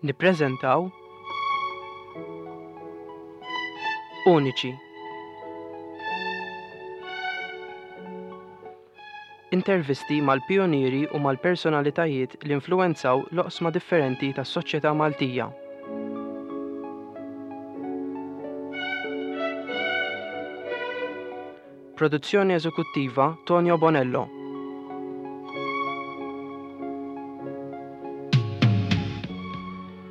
Nippreżentaw Uniċi. Intervisti mal-pijunieri u mal-personalitajiet li influwenzaw l-oqsma differenti tas-soċjetà Maltija. Produzzjoni eżekuttiva Tonio Bonello.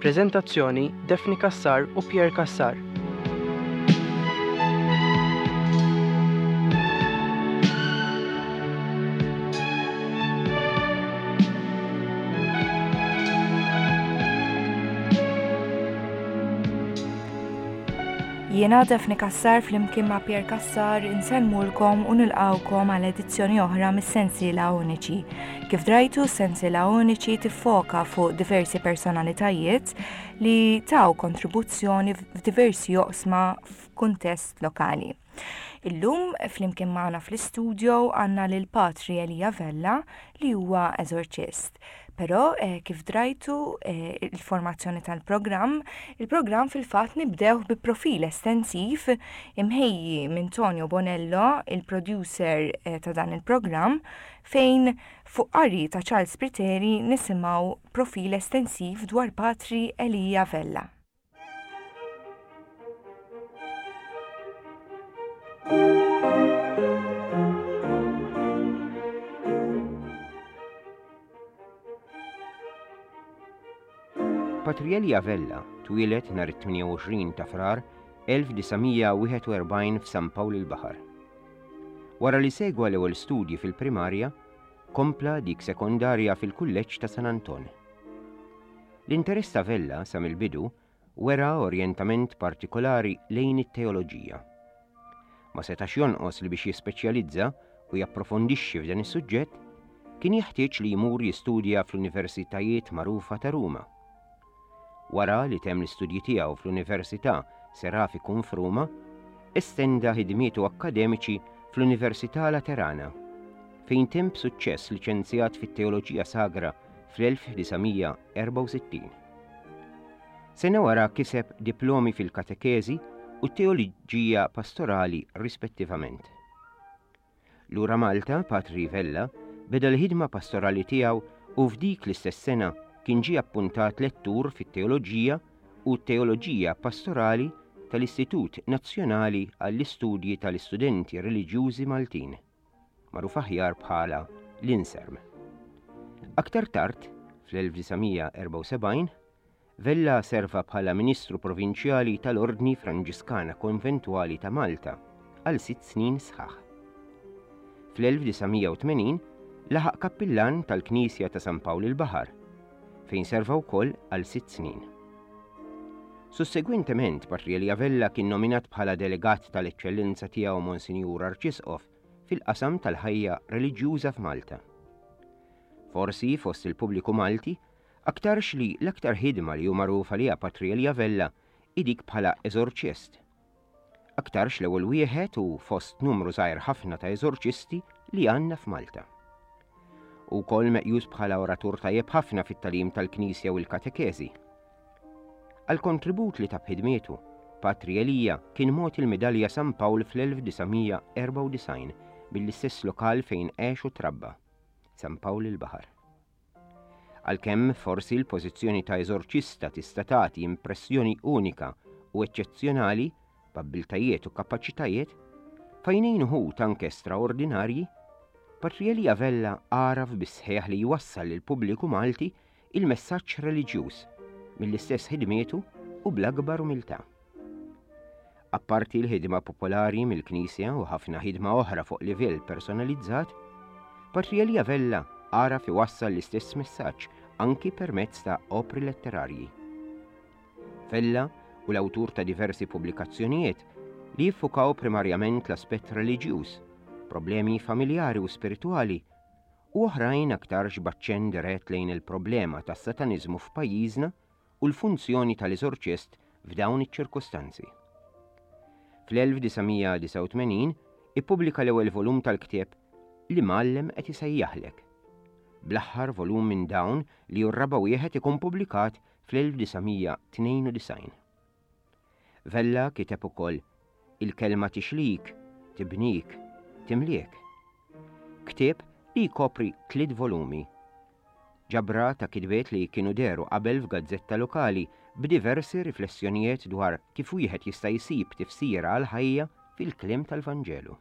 Preżentazzjoni Daphne Cassar u Pierre Cassar. Jiena Daphne Cassar flimkien ma' Pierre Cassar insellmulkom u nilqgħukom għal edizzjoni oħra mis-sensiela Uniċi. Kif drajtu, s-sensiela Uniċi tiffoka fuq diversi personalitajiet li taw kontribuzzjoni f'diversi oqsma f'kuntest lokali. Illum flimkien magħna fl-istudio għandna lil Patri Elija Vella li huwa eżorċist. Però eh, kif drajtu eh, il-formazzjoni tal-programm, il-programm fil-fatt nibdew bi profil estensiv imħejji minn Tonio Bonello, il-producer eh, ta' dan il-programm, fejn fuq qari ta' Charles Spiteri nisimgħu profil estensiv dwar Patri Elija Vella. Patri Elia Vella twieled nhar it-28 ta' Frar 1941 f'San Pawl il-Baħar. Wara li segwa l-ewwel studji fil-primarja, kompla dik sekondarja fil-Kulleġġ ta' San Anton. L-interess ta' Vella sa mill-bidu wera orjentament partikolari lejn it-teoloġija. Ma setax jonqos li biex jispeċjalizza u japprofondixxi f'dan is-suġġett, kien jeħtieġ li jmur jistudja fl-universitajiet magħrufa ta' Ruma. Wara li temm l-istudji tiegħu fl-Università Seraficum f'Ruma, estenda ħidmietu akkademiċi fl-Università Laterana, fejn temm b'suċċess liċenzjat fit-Teoloġija Sagra fl-1964. Sena wara kiseb diplomi fil-katekeżi u t-teoloġija pastorali rispettivament. Lura Malta, Patri Vella beda l-ħidma pastorali tiegħu u f'dik l-istess sena kien ġie appuntat lettur fit-teoloġija u t-teoloġija pastorali tal-Istitut Nazzjonali għall-Istudji tal-Istudenti Reliġjużi Maltin. magħruf aħjar bħala l-Inserm. Aktar tard, fl-1974, Vella serva bħala Ministru Provinċjali tal-Ordni Franġiskana Konventwali ta' Malta għal sitt snin sħaħ. Fl-1980 laħaq kappillan tal-Knisja ta' San Pawl il-Baħar, fejn serva wkoll għal sitt snin. Sussegwentement, Patri Elia Vella kien nominat bħala delegat tal-Eċċellenza tiegħu Monsinjur Arċisqof fil-qasam tal-ħajja reliġjuża f'Malta. Forsi fost il-pubbliku Malti, aktarx li l-aktar ħidma li hu magħruf għaliha Patri Elia Vella hi dik bħala eżorċist. Aktarx l-ewwel wieħed u fost numru żgħir ħafna ta' eżorċisti li għandna f'Malta. Hu wkoll meqjus bħala oratur tajjeb ħafna fit-tagħlim tal-Knisja u l-katekeżi. Għall-kontribut li ta b'ħidmietu, Patri Elija kien mogħti l-Midalja San Pawl fl-1994 mill-istess lokal fejn għex u trabba, San Pawl il-Baħar. Għalkemm forsi l-pożizzjoni ta' eżorċista tista' tagħti impressjoni unika u eċċezzjonali b'abbiltajiet u kapaċitajiet, f'għajnejn uħud anke straordinarji, Patri Elija Vella għaraf bis-sħiħ li jwassal lill-pubbliku Malti il-messaġġ reliġjuż mill-istess ħidmietu u bl-akbar umiltà. Apparti l-ħidma popolari mill-Knisja u ħafna ħidma oħra fuq livell personalizzat, Patri Elia Vella għaraf iwassal l-istess messaġġ anki permezz ta' opri letterarji. Vella u l-awtur ta' diversi pubblikazzjonijiet li jiffukaw primarjament l-aspett reliġjuż, problemi familjari u spiritwali u oħrajn aktarx b'aċċenn dirett lejn il-problema tas-sataniżmu f'pajjiżna u l-funzjoni tal-eżorċist f'dawn iċ-ċirkustanzi. Fl-1989 ippubblika l-ewwel volum tal-ktieb L-Imgħallem qed isejjaħlek. Bl-aħħar volum minn dawn li hu r-raba' wieħed ikun pubblikat fl-1992. Vella kiteb ukoll Il-kelma tixlik, tibnik, timliek. Ktieb li jkopri tliet volumi. Ġabra ta' kitbiet li kienu dehru qabel f'gazzetta lokali b'diversi riflessjonijiet dwar kif wieħed jista' jsib tifsira għall-ħajja fil-kliem tal-Vanġelu.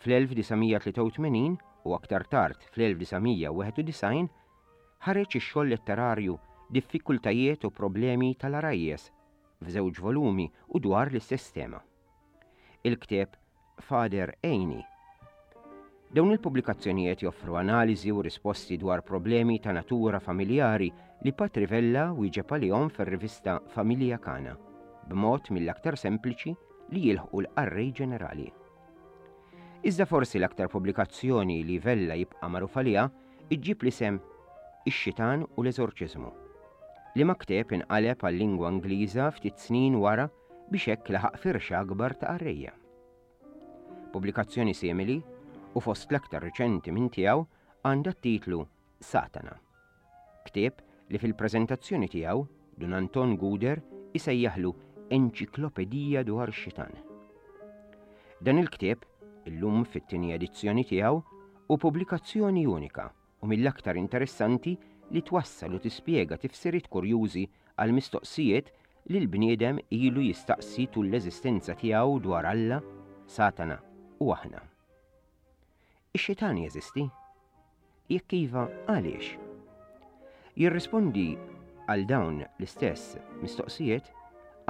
Fl-1983 u aktar tard fl-1991 ħareġ ix-xogħol letterarju Diffikultajiet u Problemi tal-Għarajjes f'żewġ volumi u dwar l-istess tema. Il-ktieb Father Għinni. Dawn il-pubblikazzjonijiet joffru analiżi u risposti dwar problemi ta' natura familjari li Patri Vella wieġeb għalihom fir-rivista Familja Kana, b'mod mill-aktar sempliċi li jilħqu l-qarrej ġenerali. Iżda forsi l-aktar pubblikazzjoni li Vella jibqa' magħruf għaliha iġġib l-isem Ix-Xitan u l-Eżorċiżmu, liema ktieb inqaleb għal-lingwa Ingliża ftit snin wara biex hekk laħaq firxa akbar ta' qarrejja. Pubblikazzjoni simili, u fost l-aktar riċenti minn tiegħu, għandha t-titlu Satana. Ktieb li fil-preżentazzjoni tiegħu Dun Anton Guder isejjaħlu enċiklopedija dwar ix-xitan. Dan il-ktieb, illum fit-tieni edizzjoni tiegħu, hu pubblikazzjoni unika u mill-aktar interessanti li twassal u tispjega tifsiriet kurjużi għal mistoqsijiet li l-bniedem ilu jistaqsi tul l-eżistenza tiegħu dwar Alla, Satana u aħna. Ix-xitan jeżisti? Jekk iva, għaliex? Jirrispondi għal dawn l-istess mistoqsijiet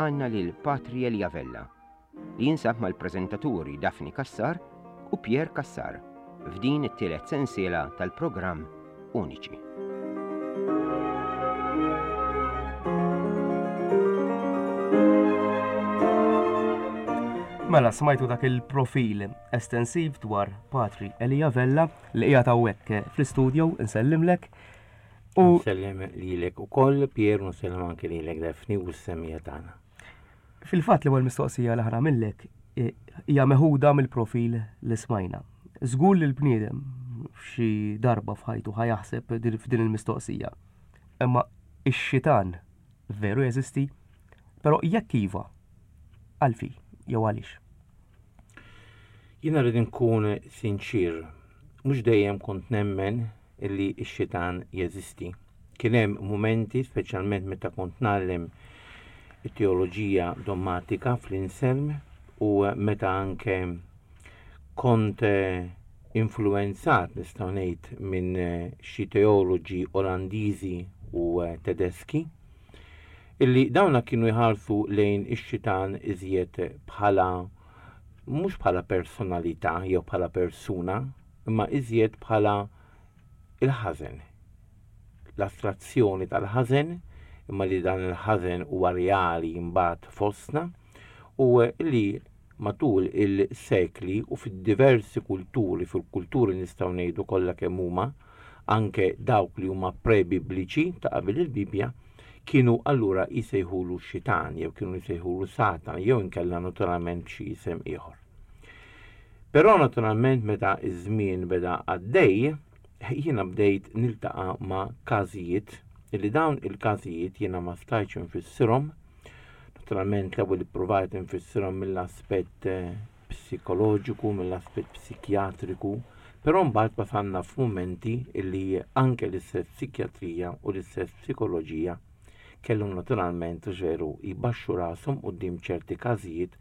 għandna lil Patri Elia Vella, li jinsab mal-preżentaturi Daphne Cassar u Pierre Cassar f'din it-tielet sensiela tal-programm Uniċi. Mela smajtu dak il-profil estensiv dwar Patri Elia Vella li qiegħed hawnhekk fl-istudio insellimlek. U nsellem lilek ukoll Pier u nsellem anke lilek Daphne u s-semija tagħna. Fil-fatt l-ewwel mistoqsija li ħanamillek eh, hija meħuda mill-profil li smajna. Żgur li l-bniedem f'xi darba f'ħajtu ħajaħseb f'din il-mistoqsija. Imma ix-xitan veru jeżisti? Però jekk iva, għalfi jew għaliex? Jiena rrid inkun sinċir, mhux dejjem kont nemmen illi x-xitan jeżisti. Kien hemm mumenti, speċjalment meta kont ngħallem it-teoloġija dommatika fl-Inselm u meta anke kont eh, influenzat nistgħu ngħid minn eh, xi teoloġi Olandiżi u eh, Tedeski illi dawna kienu jħarsu lejn ix-xitan iżjed bħala mhux bħala personalità jew bħala persuna, imma iżjed bħala il-ħażen. L-astrazzjoni tal-ħażen, imma li dan il-ħażen huwa reali mbagħad fostna u li matul il-sekli u fid-diversi kulturi, fil-kulturi nistgħu ngħidu kollha kemm huma, anke dawk li huma pre-bibliċi ta' qabel il-Bibbja, kienu allura jsejħulu xitan jew kienu jsejħulu Satan jew inkella naturalment xi isem ieħor. Però naturalment meta iż-żmien beda għaddej, jiena bdejt niltaqa' ma' każijiet illi dawn il-każijiet jiena ma stajtx infissirhom. Naturalment l-ewwel ippruvajt infissirhom mill-aspett eh, psikoloġiku, mill-aspett psikjatriku, però mbagħad wasalna f'mumenti illi anke l-istess psikjatrija u l-istess psikoloġija kellhom naturalment veru jbaxxu rashom quddiem ċerti każijiet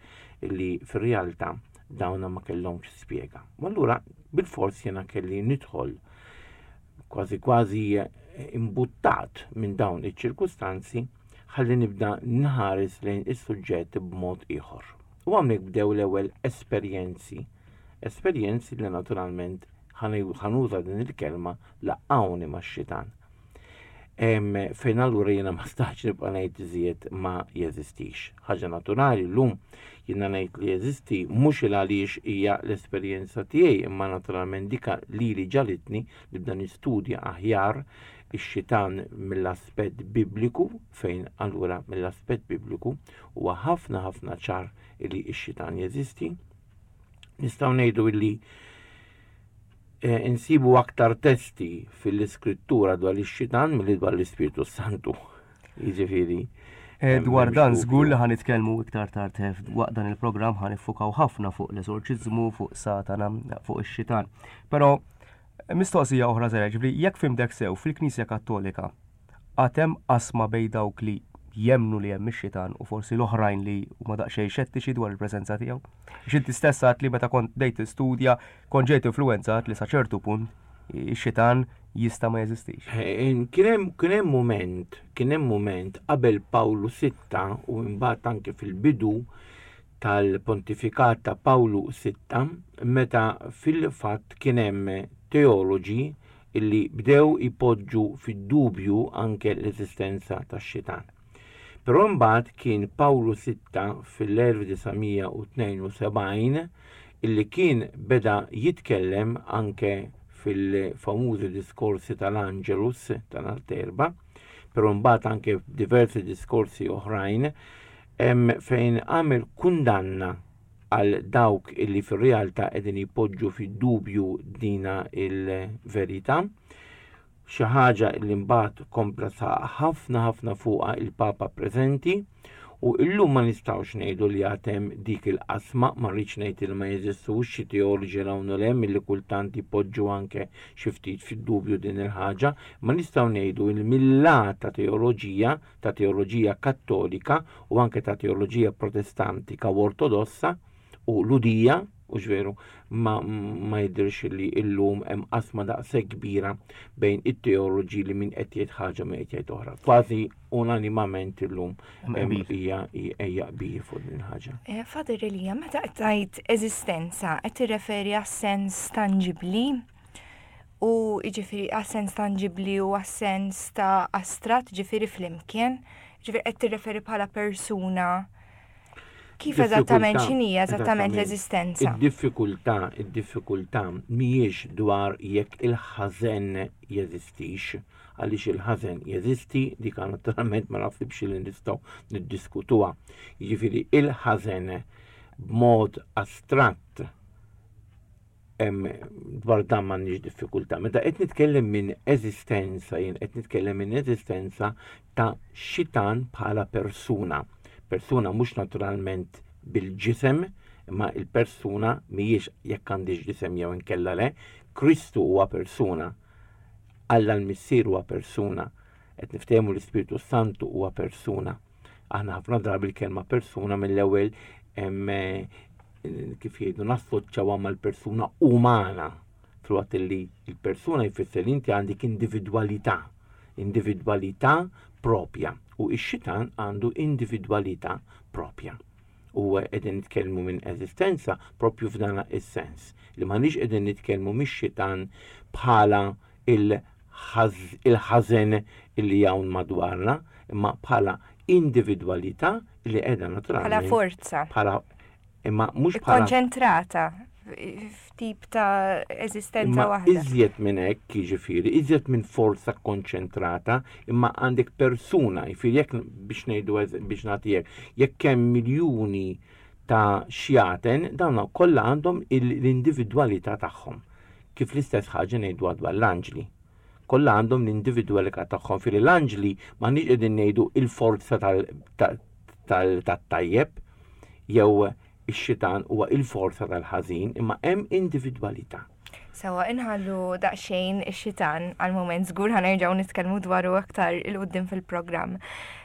li fir-realtà dawna ma kellhomx spjega. U allura bilfors jiena kelli nidħol kważi kważi imbuttat minn dawn iċ-ċirkustanzi ħalli nibda nħares lejn is-suġġett b'mod ieħor. U hawnhekk bdew l-ewwel esperjenzi, esperjenzi li naturalment ħanuża din il-kelma laqgħuni max-xitan. Fejn allura jiena ma stax nibqa' ngħid iżjed ma jeżistix. Ħaġa naturali llum jiena ngħid li jeżisti mhux il għaliex hija l-esperjenza tiegħi imma naturalment dika lili ġalitni nibda nistudja aħjar ix-xitan mill-aspett bibliku fejn allura mill-aspett bibliku huwa ħafna ħafna ċar li x-xitan jeżisti. Nistgħu ngħidu illi eh, insibu aktar testi fil-iskrittura dwar ix-xitan milli dwar l-Ispirtu Santu. Jiġifieri. Eh, dwar dan żgur li ħanitkellmu iktar tard eh, waqt dan il-programm ħanifukaw ħafna fuq l-eżorċiżmu, fuq Satana, fuq ix-xitan. Però mistoqsija oħra żgħira, ġifieri jekk fimtek sew fil-Knisja Kattolika għad hemm qasma bejn dawk li jemmnu li hemm ix-xitan u forsi l-oħrajn li huma daqsxejn xettiċi dwar il-preżenza tiegħu? Għax inti stess għedt li meta kont bdejt tistudja kont ġejt influwenzat li sa ċertu punt ix-xitan jista' ma jeżistix. Eh, kien hemm mument, kien hemm mument qabel Pawlu Sitta u mbagħad anke fil-bidu tal-pontifikat ta' Pawlu Sitta meta fil-fatt kien hemm teoloġi illi bdew ipoġġu fid-dubju anke l-eżistenza tax-xitan. Però mbagħad kien Pawlu Sitta fil-1972 illi kien beda jitkellem anke fil-famużi diskorsi tal-Angelus ta' nhar t'Erbgħa, però mbagħad anke f'diversi diskorsi oħrajn fejn għamel kundanna għal dawk illi fir-realtà qegħdin jpoġġu fid-dubju dina il-verità. Xi ħaġa li mbagħad kompla saħaq ħafna ħafna fuqha il-Papa preżenti u illum ma nistgħux ngħidu li għad hemm dik il-qasma, ma rridx ngħid li ma jeżistux xi teoloġi 'l hawn u 'l hemm illi kultant jpoġġu anke xi ftit fid-dubju din il-ħaġa, imma nistgħu ngħidu li mil-lat ta' teoloġija ta' teoloġija Kattolika u anke ta' teoloġija Protestantika u Ortodossa u Lhudija, hux veru, ma, ma jidhirx li illum hemm qasma daqshekk kbira bejn it-teoloġi li min qed jgħid ħaġa min qed jgħid oħra. Kważi unanimament illum hija hija qbil fuq din il-ħaġa. Eh, Father Elia, meta qed tgħid eżistenza qed tirreferi għas-sens tanġibbli u jiġifieri għas-sens tanġibbli u għas-sens ta' astratt, ġifieri flimkien, ġifieri qed tirreferi bħala persuna. Kif eżattament x'inhi eżattament l-eżistenza? Id-diffikultà, id-diffikultà mhijiex dwar jekk il-ħażen jeżistix, għaliex il-ħażen jeżisti, dik naturalment ma naħsibx li nistgħu niddiskutuha. Jiġifieri il-ħażen b'mod astratt dwar dan m'għandniex diffikultà. Meta qed nitkellem minn eżistenza, jien qed nitkellem minn eżistenza ta' xitan bħala persuna. Persuna mhux naturalment bil-ġisem, imma il-persuna mhijiex jekk għandix ġisem jew inkella le, Kristu huwa persuna. Alla l-Missier huwa persuna. Qed niftehmu l-Ispirtu Santu huwa persuna. Aħna ħafna drabi l-kelma persuna mill-ewwel eh, kif jgħidu nassoċjawha mal-persuna umana filwaqt li l-persuna jfisser li inti għandek individwalità, individwalità propja u x-xitan għandu individwalità propja. U qegħdin nitkellmu minn eżistenza propju f'dan is-sens li m'aħniex qegħdin nitkellmu mix-xitan bħala il-ħażen illi hawn madwarna, imma bħala individwalità li qiegħda naturalment. Bħala forza. Bħala imma mhux bħala. Konċentrata f'tip ta' eżistenza waħda. Iżjed minn hekk, jiġifieri, iżjed minn forza konċentrata, imma għandek persuna, jiġifieri jekk biex ngħidu biex nagħti hekk, jekk hemm miljuni ta' xjaten, dawn kollha għandhom l-individwalità tagħhom. Kif l-istess ħaġa ngħiduha dwar l-anġli. Kollha għandhom l-individwalità tagħhom. Fili l-anġli m'aħniex qegħdin ngħidu il-forza tat-tajjeb jew ix-xitan huwa il-forza tal-ħażin, imma hemm individwalità. Sewa inħallu daqsxejn ix-xitan għal mument żgur ħanerġgħu nitkellmu dwaru aktar il quddiem fil-programm.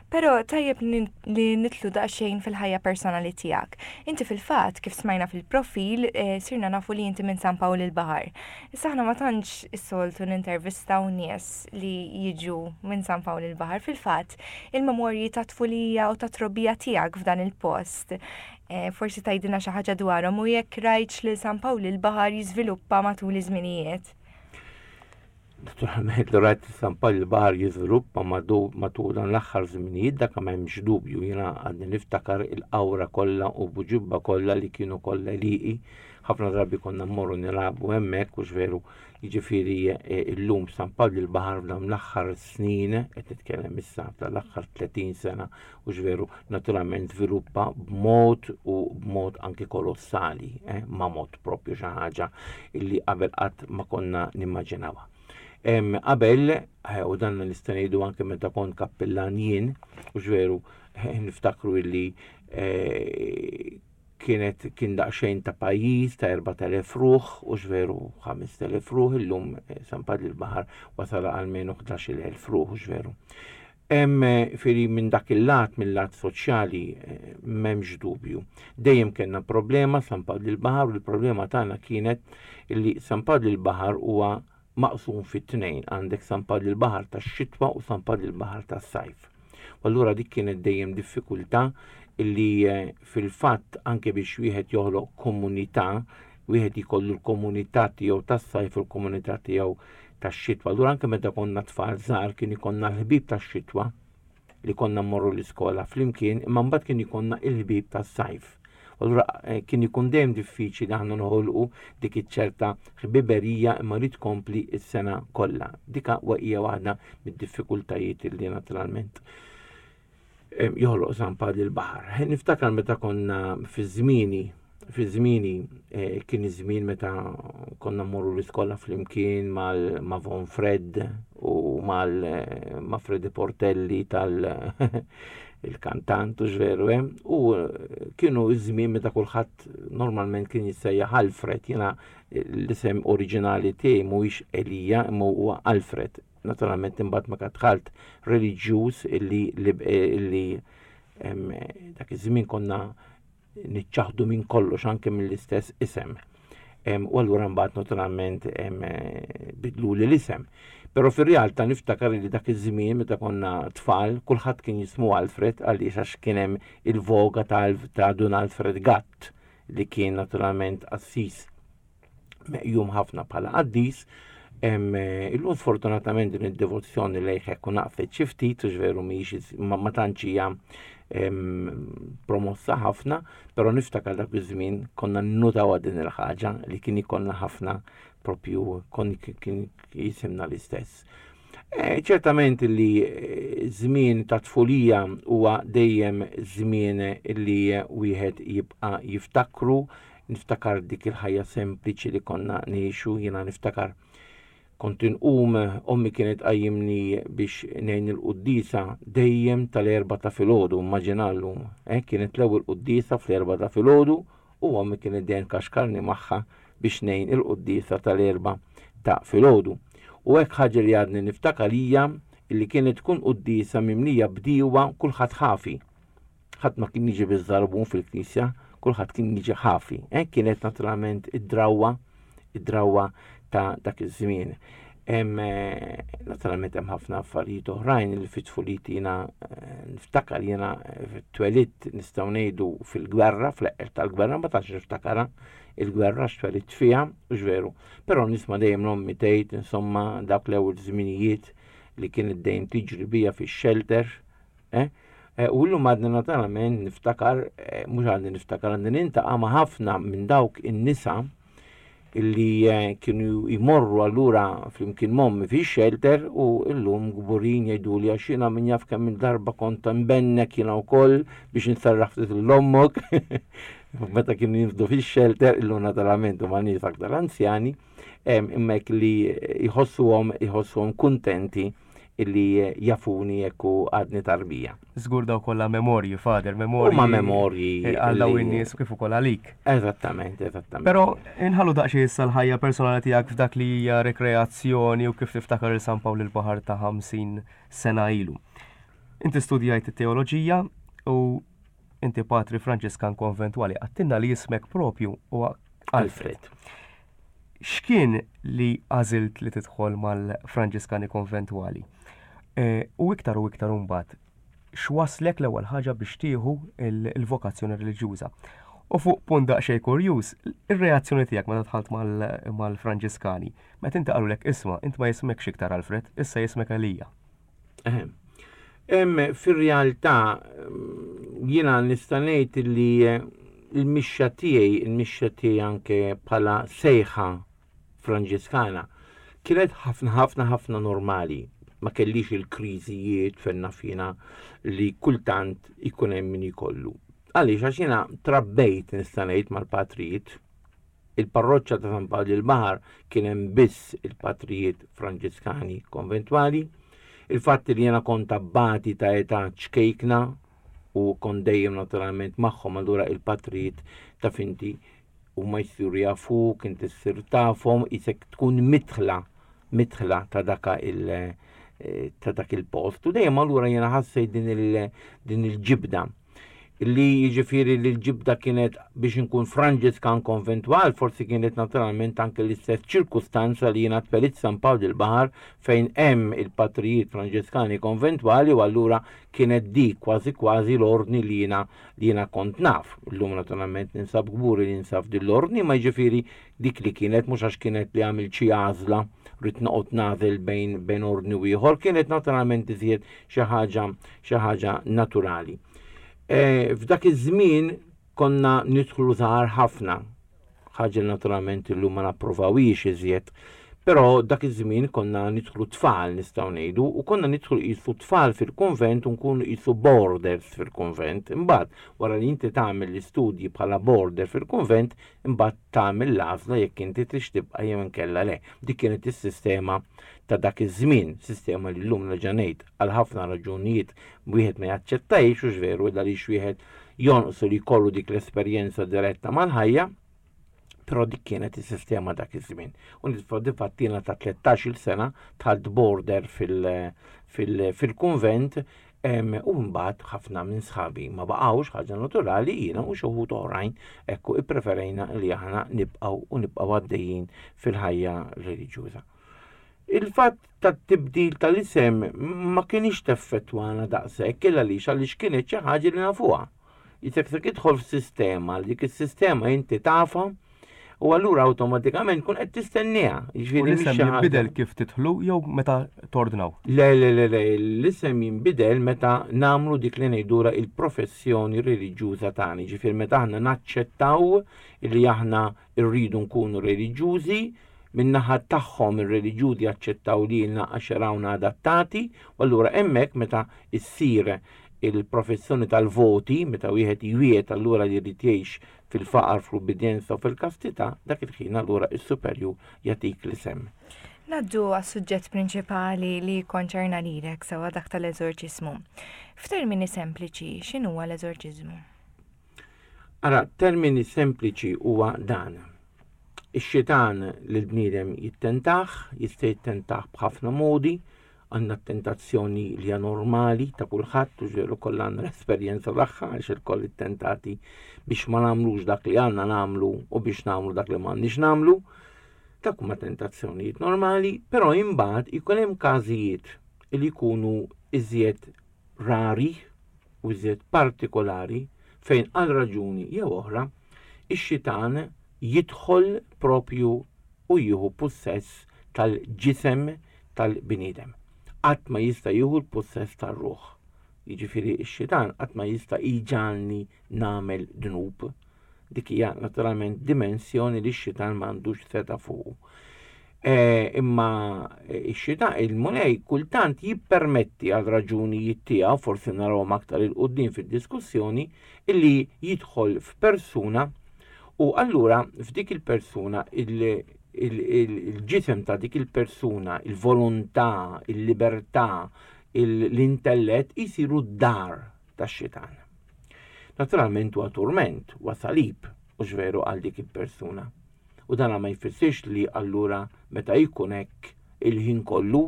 Però tajjeb li nitlu daqsxejn fil-ħajja personali tiegħek. Inti fil-fatt, kif smajna fil-profil, eh, sirna nafu li inti minn San Pawl il-Baħar. Issa aħna ma tantx is-soltu nintervistaw nies li jiġu minn San Pawl il-Baħar. Fil-fatt, il-memorji ta' tfulija u ta' trobbija tiegħek f'dan il-post. Eh, forsi tgħidilna xi ħaġa dwarhom u jekk rajtx lil San Pawl il-Baħar jiżviluppa matul iż-żminijiet. Naturalment li rajt San Pawl il-Baħar jiżviluppa matul dan l-aħħar żminijiet dak ma hemmx dubju jiena għadni niftakar il-qawra kollha u Buġibba kollha li kienu kollha liqi. Ħafna drabi konna mmorru nilagħbu hemmhekk u veru jiġifieri e, illum San Pawl il-Baħar f'dawn l-aħħar snin qed nitkellem issa tal-aħħar 30 sena u veru naturalment żviluppa b'mod u b'mod anki kolossali, eh, ma mod propju xi ħaġa illi qabel qatt ma konna nimmaġinawha. Qabel, eh, u dan nista' ngħidu anke meta kont kappillan jien, u veru eh, niftakru illi eh, kienet kien daqsxejn ta' pajjiż ta' 4000 ruħ u x'veru 5000 ruħ illum San Padli l-Baħar wasal għalmenu 11,000 ruħ u x'veru. Hemm firi minn dak il-lat, mill-lat soċjali, m'hemmx dubju. Dejjem kellna problema San Padli l-Baħar u l-problema tagħna kienet li San Padli l-Baħar huwa maqsum fi tnejn, għandek San Padli l-Baħar tax-xitwa u San Padli l-Baħar tas-sajf. U allura dik kienet dejjem diffikultà li eh, fil-fatt anke biex wieħed joħloq komunità, wieħed jkollu l-komunità tiegħu tas-sajf u l-komunità tiegħu tax-xitwa. Allura anke meta konna tfal żgħar kien ikollna l-ħbieb tax-xitwa li konna mmorru l-iskola flimkien, imma mbagħad kien ikollna il-ħbieb tas-sajf. Allura eh, kien ikun dejjem diffiċli aħna noħolqu dik iċ-ċerta ħbiberija imma li tkompli s-sena kollha. Dika hija waħda mid-diffikultajiet li naturalment joħloq San Padli l-Baħar. Niftakar meta konna fi żmieni, fi żmieni eh, kien iż-żmien meta konna mmorru l-iskola flimkien mal ma' Von Fred u mal eh, ma' Freddy Portelli tal il-kantant u ġveru, eh? u kienu iż-żmien meta kulħadd normalment kien jissejjaħ Alfred, jiena l-isem oriġinali tiegħi mhuwiex Elija imma huwa Alfred. Naturalment imbagħad meta dħalt reliġjuż illi illi dak iż-żmien konna niċċaħdu minn kollox anke mill-istess isem. U allura mbagħad naturalment bidlu li l-isem. Però fir-realtà niftakar li dak iż-żmien meta konna tfal, kulħadd kien jismu Alfred għaliex għax kien hemm il-voga ta' Dun Alfred Gatt li kien naturalment qassis meqjum ħafna bħala qaddis. Illum sfortunatament din id-devozzjoni lejh hekk u naqfet xi ftit u veru mhijiex ma tantx hija promossa ħafna, però niftakar dak iż-żmien konna nnutaw din il-ħaġa li kien ikollna ħafna propju kon kien jisimna l-istess. Eh, ċertament li eh, żmien ta' tfulija huwa dejjem żmien li wieħed jibqa' jiftakru Niftakar dik il-ħajja sempliċi li konna ngħixu, jiena niftakar kont inqum, ommi kienet tqajjimni biex ngħin il-quddiesa dejjem tal-erba ta' filgħodu, immaġina llum, eh, kienet l-ewwel quddiesa fl-erba ta' filgħodu u ommi kienet dejjem tkaxkarni magħha biex ngħin il-quddiesa tal-erba ta' filgħodu. U hekk ħaġa li għadni niftakar hija li kienet tkun quddiesa mimlija bdiewa kulħadd ħafi. Ħadd ma kien jiġi biż-żarbun fil-knisja, kulħadd kien jiġi ħafi. Eh? Kienet naturalment id-drawwa, id-drawwa ta' dak iż-żmien. Hemm eh, naturalment hemm ħafna affarijiet oħrajn li fit-tfuliti jiena eh, niftakar jiena eh, twelidt nistgħu ngħidu fil-gwerra, fl-eqqel tal-gwerra, ma tantx niftakarha il-gwerra x'twelidt fiha, u veru. Però nisma' dejjem l-ommi tgħid insomma dawk l-ewwel żminijiet li kienet dejjem tiġri bija fix-shelter Eh? Eh, u llum għadni naturalment niftakar, eh, mhux għadni niftakar, għadni nintaqa' ma' ħafna minn dawk in-nisa illi eh, kienu jmorru allura flimkien mommi fi shelter u illum gburin jgħidu li għax jiena min jaf kemm il-darba kont nbennek jiena wkoll biex nsarraħ ftit l-ommok. Meta kienu jinfdu fi shelter illum naturalment huma nies aktar anzjani, imma hekk li jħossuhom jħossuhom kuntenti illi jafuni jekk u għadni tarbija. Żgur daw kollha memorji, Father, memorji. Huma memorji. Eh, għal daw in-nies kif ukoll għalik. Eżattament, eżattament. Però inħallu daqsxejn issa l-ħajja personali tiegħek f'dak li hija rekreazzjoni u kif tiftakar il San Pawl il-Baħar ta' 50 sena ilu. Inti studjajt it-teoloġija u inti patri Franġiskan konventwali għattinna li jismek propju huwa Alfred. X'kien li għażilt li tidħol mal-Franġiskani Konventwali? E, u iktar u iktar imbagħad, x'waslek l-ewwel ħaġa biex tieħu il-vokazzjoni reliġjuża? U fuq punt daqsxejn kurjuż, ir-reazzjoni tiegħek meta dħalt mal-Franġiskani, meta inti qalulek isma' int ma jismekx iktar Alfred, issa jismek Elija. Fir-realtà jiena nista' ngħid li eh, l-mixxa tiegħi, il-mixxa tiegħi anke bħala sejħa Franġiskana, kienet ħafna ħafna ħafna normali. Ma kellix il-kriżijiet fejn naf jiena li kultant ikun hemm min ikollu. Għaliex għax jiena trabbejt nista' ngħid mal-patrijiet. Il-parroċċa ta' San Pawl il-Baħar kien hemm biss il-patrijiet Franġiskani konventwali. Il-fatt li jiena kont abbati ta' età ċkejkna u kont dejjem naturalment magħhom allura il-patrijiet ta' finti huma jsiru jafuk, inti ssir tafhom, isek tkun mitħla mitħla ta' daka il eh, ta' dak il-post. U dejjem allura jiena ħassejt din il-ġibda li jiġifieri li l-ġibda kienet biex inkun Franġiskan konventwal, forsi kienet naturalment anke l-istess ċirkustanza li jiena twelit San Pawl il-Baħar fejn hemm il-patrijiet Franġiskani konventwali u allura kienet dik kważi kważi l-ordni li jiena li jiena kont naf. Illum naturalment ninsab kburi li ninsab din l-ordni, ma jiġifieri dik li kienet mhux għax kienet li għamilt xi għażla rrid noqgħod nagħżel bejn bejn ordni u ieħor, kienet naturalment iżjed xi ħaġa xi ħaġa naturali. E, f'dak iż-żmien konna nidħlu żgħar ħafna, ħaġa naturalment illum ma napprovawhiex iżjed. Però dak iż-żmien konna nidħlu tfal nistgħu ngħidu u konna nidħlu qisu tfal fil-kunvent u nkunu qisu boarders fil-kunvent. Imbagħad wara li inti tagħmel l-istudji bħala boarder fil-kunvent, imbagħad tagħmel l-għażla jekk inti trix tibqa' jew inkella le. Dik kienet is-sistema ta' dak iż-żmien, sistema li llum nerġa' ngħid għal ħafna raġunijiet wieħed ma jaċċettajx u veru għaliex wieħed jonqsu li jkollu dik l-esperjenza diretta mal-ħajja, però dik kienet is-sistema dak iż-żmien. U difatti jiena ta' 13-il sena dħalt border fil-kunvent u mbagħad ħafna minn sħabi ma baqgħux ħaġa naturali jiena u xi wħud oħrajn ekku ippreferejna li aħna nibqgħu u nibqgħu għaddejjin fil-ħajja reliġjuża. Il-fatt tat-tibdil tal-isem ma kienx teffettwana daqshekk il għaliex għaliex kienet xi ħaġa li nafuha. Jisek se tidħol f'sistema li dik is-sistema inti tafha u allura awtomatikament kun qed tistenniha. Jiġifieri l-isem jinbidel kif tidħlu jew meta tordnaw? Le, le, le, le, l-isem jinbidel meta nagħmlu dik li ngħidura il-professjoni reliġjuża tagħna. Jiġifieri meta aħna naċċettaw li aħna rridu nkunu reliġjużi, min-naħa tagħhom ir-reliġjużi jaċċettaw lilna għax jarawna adattati, u allura hemmhekk meta ssir il-professjoni tal-voti, meta wieħed jwiegħed allura li jrid jgħix fil-faqar, fl-ubbidjenza u fil-kastità, dak il-ħin allura s-superjur jagħtik l-isem. Ngħaddu għas-suġġett prinċipali li jikkonċerna lilek sewwa dak tal-eżorċiżmu. F'termini sempliċi, x'inhuwa l-eżorċiżmu? Ara, termini sempliċi huwa dan. Ix-xitan lill-bniedem jittentah, jista' jittentah b'ħafna modi, għandna tentazzjoni li hija normali ta' kulħadd u ġeru kollha għandna l-esperjenza tagħha għax ilkoll ittentati biex ma nagħmlux dak li għandna nagħmlu u biex nagħmlu dak li m'għandniex nagħmlu. Dak huma tentazzjonijiet normali, però imbagħad ikun hemm każijiet li jkunu iżjed rari u iżjed partikolari fejn għal raġuni jew oħra ix-xitan jidħol propju u jieħu pussess tal-ġisem tal-bniedem. Qatt ma jista' jieħu l-pussess tar-ruħ. Jiġifieri x-xitan qatt ma jista' jġagħalni nagħmel dnub. Dik hija naturalment dimensjoni li x-xitan m'għandux seta' fuqu. E, imma x-xitan il-Mulej kultant jippermetti għal raġunijiet tiegħu, forsi narawhom aktar il quddiem fid-diskussjoni, illi jidħol f'persuna u allura f'dik il-persuna il-ġisem ta' dik il-persuna, il-volontà, il-libertà, l-intellett jisiru d-dar tax-xitan. Naturalment huwa turment, huwa salib, u veru għal dik il-persuna. U dana ma jfissirx li allura meta jkun hekk il-ħin kollu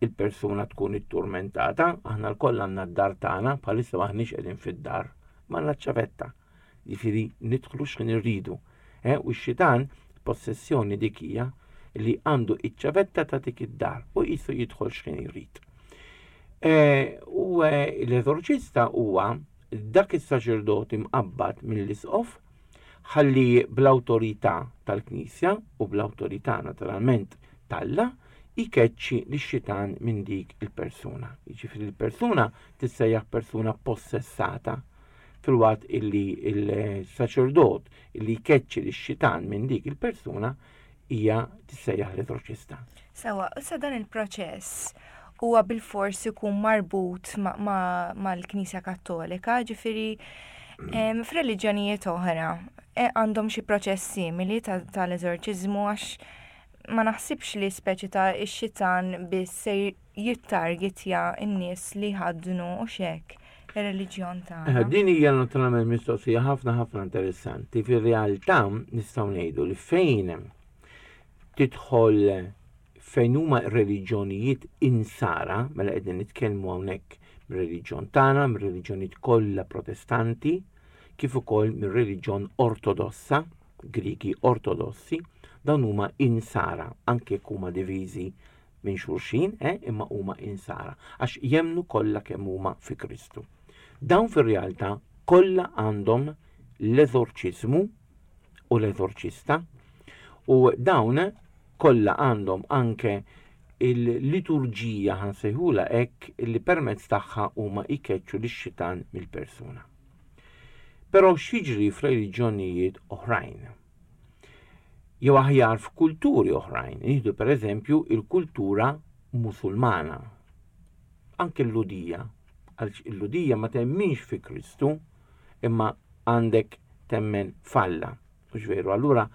il-persuna tkun itturmentata, aħna lkoll għandna d-dar tagħna, bħalissa maħniex qegħdin fid-dar, ma għandna ċavetta. Jiġifieri nidħlu x'ħin irridu. Eh, u x-xitan, possessjoni dik hija li għandu iċ-ċavetta ta' dik id-dar u qisu jidħol x'ħin jrid. Eh, u eh, l-eżorċista huwa dak is-saċerdot imqabbad mill-isqof ħalli bl-awtorità tal-Knisja u bl-awtorità naturalment t'Alla jkeċċi lix-xitan minn dik il-persuna. Jiġifieri l-persuna tissejjaħ persuna possessata filwaqt illi il-saċerdot illi jkeċċi lix-xitan minn dik il-persuna hija tissejjaħ l-eżorċista. Sewa, issa dan il-proċess huwa bilfors ikun marbut mal-Knisja Kattolika, ġifieri f'reliġjonijiet oħra. E, għandhom xi proċess simili tal-eżorċiżmu għax ma naħsibx li speċi ta' ix-xitan biss se jittargetja n-nies li jħaddnu u xek ir-reliġjon tagħna. Eh, din hija naturalment mistoqsija ħafna ħafna interessanti. Fir-realtà nistgħu ngħidu li fejn tidħol fejn huma reliġjonijiet insara, mela qegħdin nitkellmu hawnhekk mir-reliġjon tagħna, mir-reliġjonijiet kollha Protestanti, kif ukoll mir-reliġjon Ortodossa, Griegi Ortodossi, dawn huma insara, anke jekk huma diviżi minn xulxin, eh, imma huma insara, għax jemmnu kollha kemm huma fi Kristu. Dawn fir-realtà kollha għandhom l-eżorċiżmu u l-eżorċista u dawn kollha għandhom anke il-liturġija ħansejħula hekk li permezz tagħha huma jkeċċu lix-xitan mill-persuna. Però x'jiġri f'reliġjonijiet oħrajn? Jew aħjar f'kulturi oħrajn, nieħdu pereżempju il-kultura Musulmana. Anke l-Ludija, għaliex il-Ludija ma temminx fi Kristu, imma għandek temmen f'Alla. Mhux veru, allura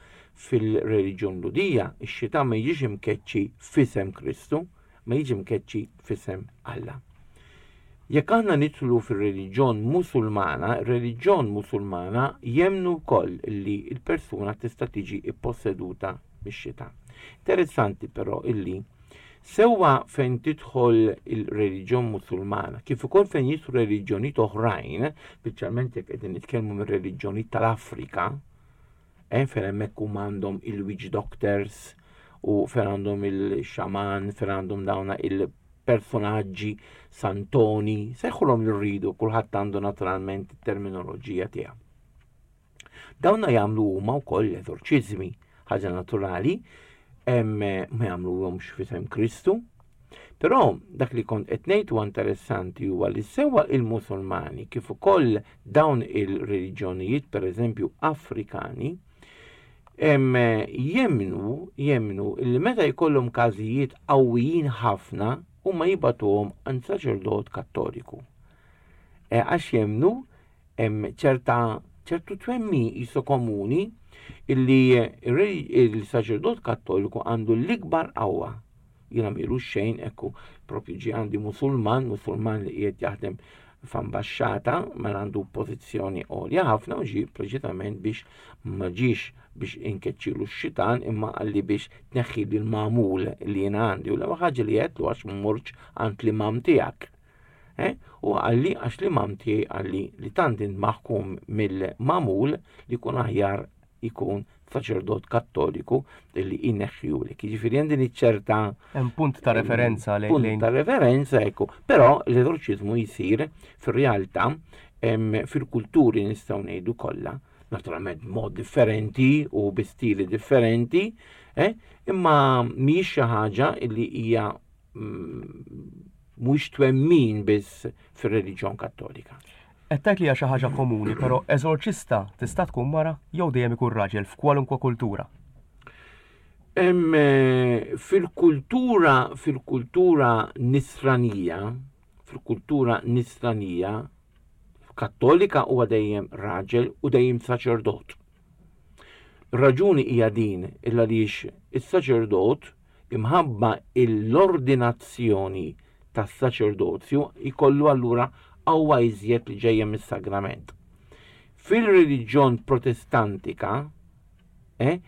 fil-reliġjon Ludija ix-xitan ma jiġix imkeċċi f'isem Kristu, ma jiġi mkeċċi f'isem Alla. Jekk aħna nidħlu fir-reliġjon Musulmana, ir-reliġjon Musulmana jemmnu wkoll li l-persuna tista' tiġi pposseduta mix-xitan. Interessanti però illi sewwa fejn tidħol il-reliġjon Musulmana, kif ukoll fejn jidħlu reliġjonijiet oħrajn, speċjalment jekk qegħdin nitkellmu mir-reliġjonijiet tal-Afrika, eh, fejn hemmhekk huma għandhom il-witch doctors u fejn għandhom il-xaman, fejn għandhom dawna il-personaġġi santoni, sejħulhom li rridu, kulħadd għandu naturalment it-terminoloġija tiegħu. Dawna jagħmlu huma wkoll l-eżorċiżmi, ħaġa naturali, ma jagħmluhomx f'isem Kristu. Però dak li kont qed ngħid huwa interessanti huwa li sewwa il-Musulmani kif ukoll dawn il-reliġjonijiet pereżempju Afrikani jemmnu jemmnu li meta jkollhom każijiet qawwijin ħafna huma jibagħtuhom għand saċerdot Kattoliku. E, għax jemmnu hemm ċerta ċertu twemmin qisu komuni illi il-saċerdot kattoliku għandu l-ikbar qawwa. Jiena milu xejn ekku propju ġie għandi musulman, musulman li qiegħed jaħdem f'ambaxxata mela għandu pożizzjoni għolja ħafna u ġie preċitament biex ma ġiex biex inkeċċilu x-xitan imma qalli biex tneħħi l-magħmul li jiena għandi u l-ewwel ħaġa li għedtlu għax mmurx għand l-imam tiegħek. Eh? U qalli għax l-imam tiegħi qalli li tant int maħkum mill-magħmul li jkun aħjar jkun saċerdot kattoliku li jneħħiulek. Jiġifieri hemm din iċ-ċerta Hemm punt ta' referenza lejn punt ta' referenza ekku, però l-eżorċiżmu jsir fir-realtà fil-kulturi nistgħu ngħidu kollha, naturalment mod differenti u bi stili differenti, eh? imma mhijiex xi ħaġa li hija mhuwiex twemmin biss fir-reliġjon Kattolika. Qed tgħid li hija xi ħaġa komuni, però eżorċista tista' tkun mara jew dejjem ikun raġel f'kwalunkwe kultura? Eh, fil-kultura fil-kultura nisranija, fil-kultura nisranija kattolika huwa dejjem raġel u dejjem saċerdot. Raġuni hija din il għaliex is-saċerdot imħabba l-ordinazzjoni tas-saċerdozju jkollu allura qawwa iżjed li ġejja mis-sagrament. Fil-reliġjon protestantika, eh,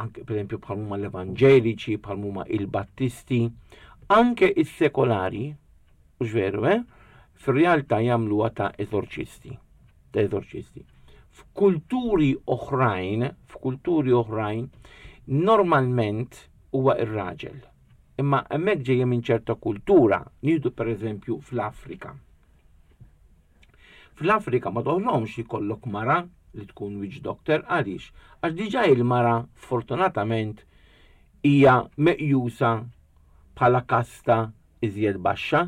anke per esempio bħal huma l-evanġeliċi, bħal huma il-battisti, anke is-sekolari, mhux veru, eh, fir-realtà jagħmluha ta' eżorċisti. Ta' eżorċisti. F'kulturi oħrajn, f'kulturi oħrajn, normalment huwa ir-raġel. Imma hemmhekk ġejja minn ċerta kultura, nieħdu pereżempju fl-Afrika. Fl-Afrika ma toħlomx jkollok mara li tkun witch doctor għaliex? Għax diġà il-mara fortunatament hija meqjusa bħala kasta iżjed baxxa.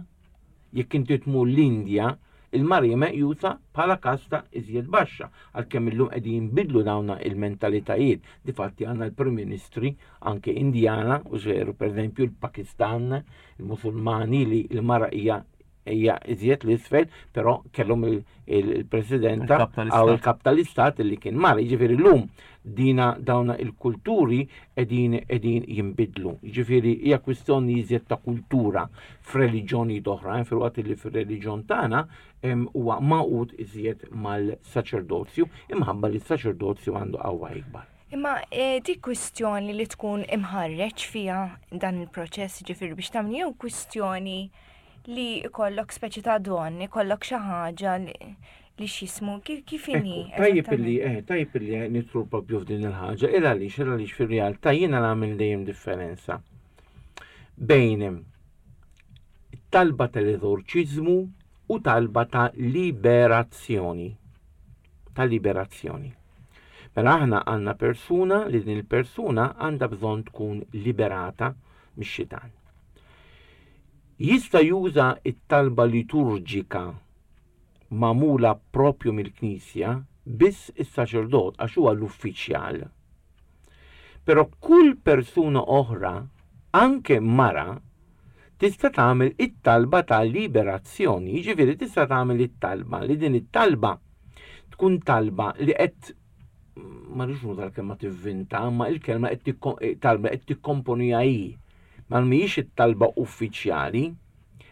Jekk inti tmur l-Indja, il-mara hija meqjusa bħala kasta iżjed baxxa, għalkemm illum qegħdin jinbidlu dawn il-mentalitajiet. Difatti għandna l-Prim Ministri anke Indjana, u veru pereżempju l-Pakistan, il-Musulmani li l-mara hija hija iżjed l-isfel, però kellhom il-presidenta għaw il-kap tal-istat li kien mara. Jiġifieri llum dina dawna il-kulturi qegħdin qegħdin jinbidlu. Jiġifieri hija kwistjoni iżjed ta' kultura f'reliġjonijiet oħra, eh, filwaqt li fir-reliġjon tagħna huwa magħqud iżjed mal-saċerdozju imħabba li s-saċerdozju għandu qawwa ikbar. Imma eh, dik kwistjoni li tkun imħarreġ fiha dan il-proċess ġifieri biex tagħmel jew kwistjoni li jkollok speċi ta' don, ikollok xi ħaġa li x'jismu, kif inhi? Tajjeb illi eh, tajjeb illi nidħlu propju f'din il-ħaġa, il għaliex, il għaliex fir-realtà jiena nagħmel dejjem differenza bejn talba tal-eżorċiżmu u talba ta' liberazzjoni. Ta' liberazzjoni. Mela aħna għandna persuna li din il-persuna għandha bżonn tkun liberata mix-xitan. Jista' juża t-talba liturġika magħmula proprju mill-Knisja biss is-saċerdot għax huwa l-uffiċjal. Però kull persuna oħra, anke mara, tista' tagħmel it-talba ta' liberazzjoni, jiġifieri tista' tagħmel it-talba li din it-talba tkun talba li qed ma rridx nuża l-kelma tivvinta, imma il-kelma qed talba qed tikkomponiha hi. Ma mhijiex it-talba uffiċjali,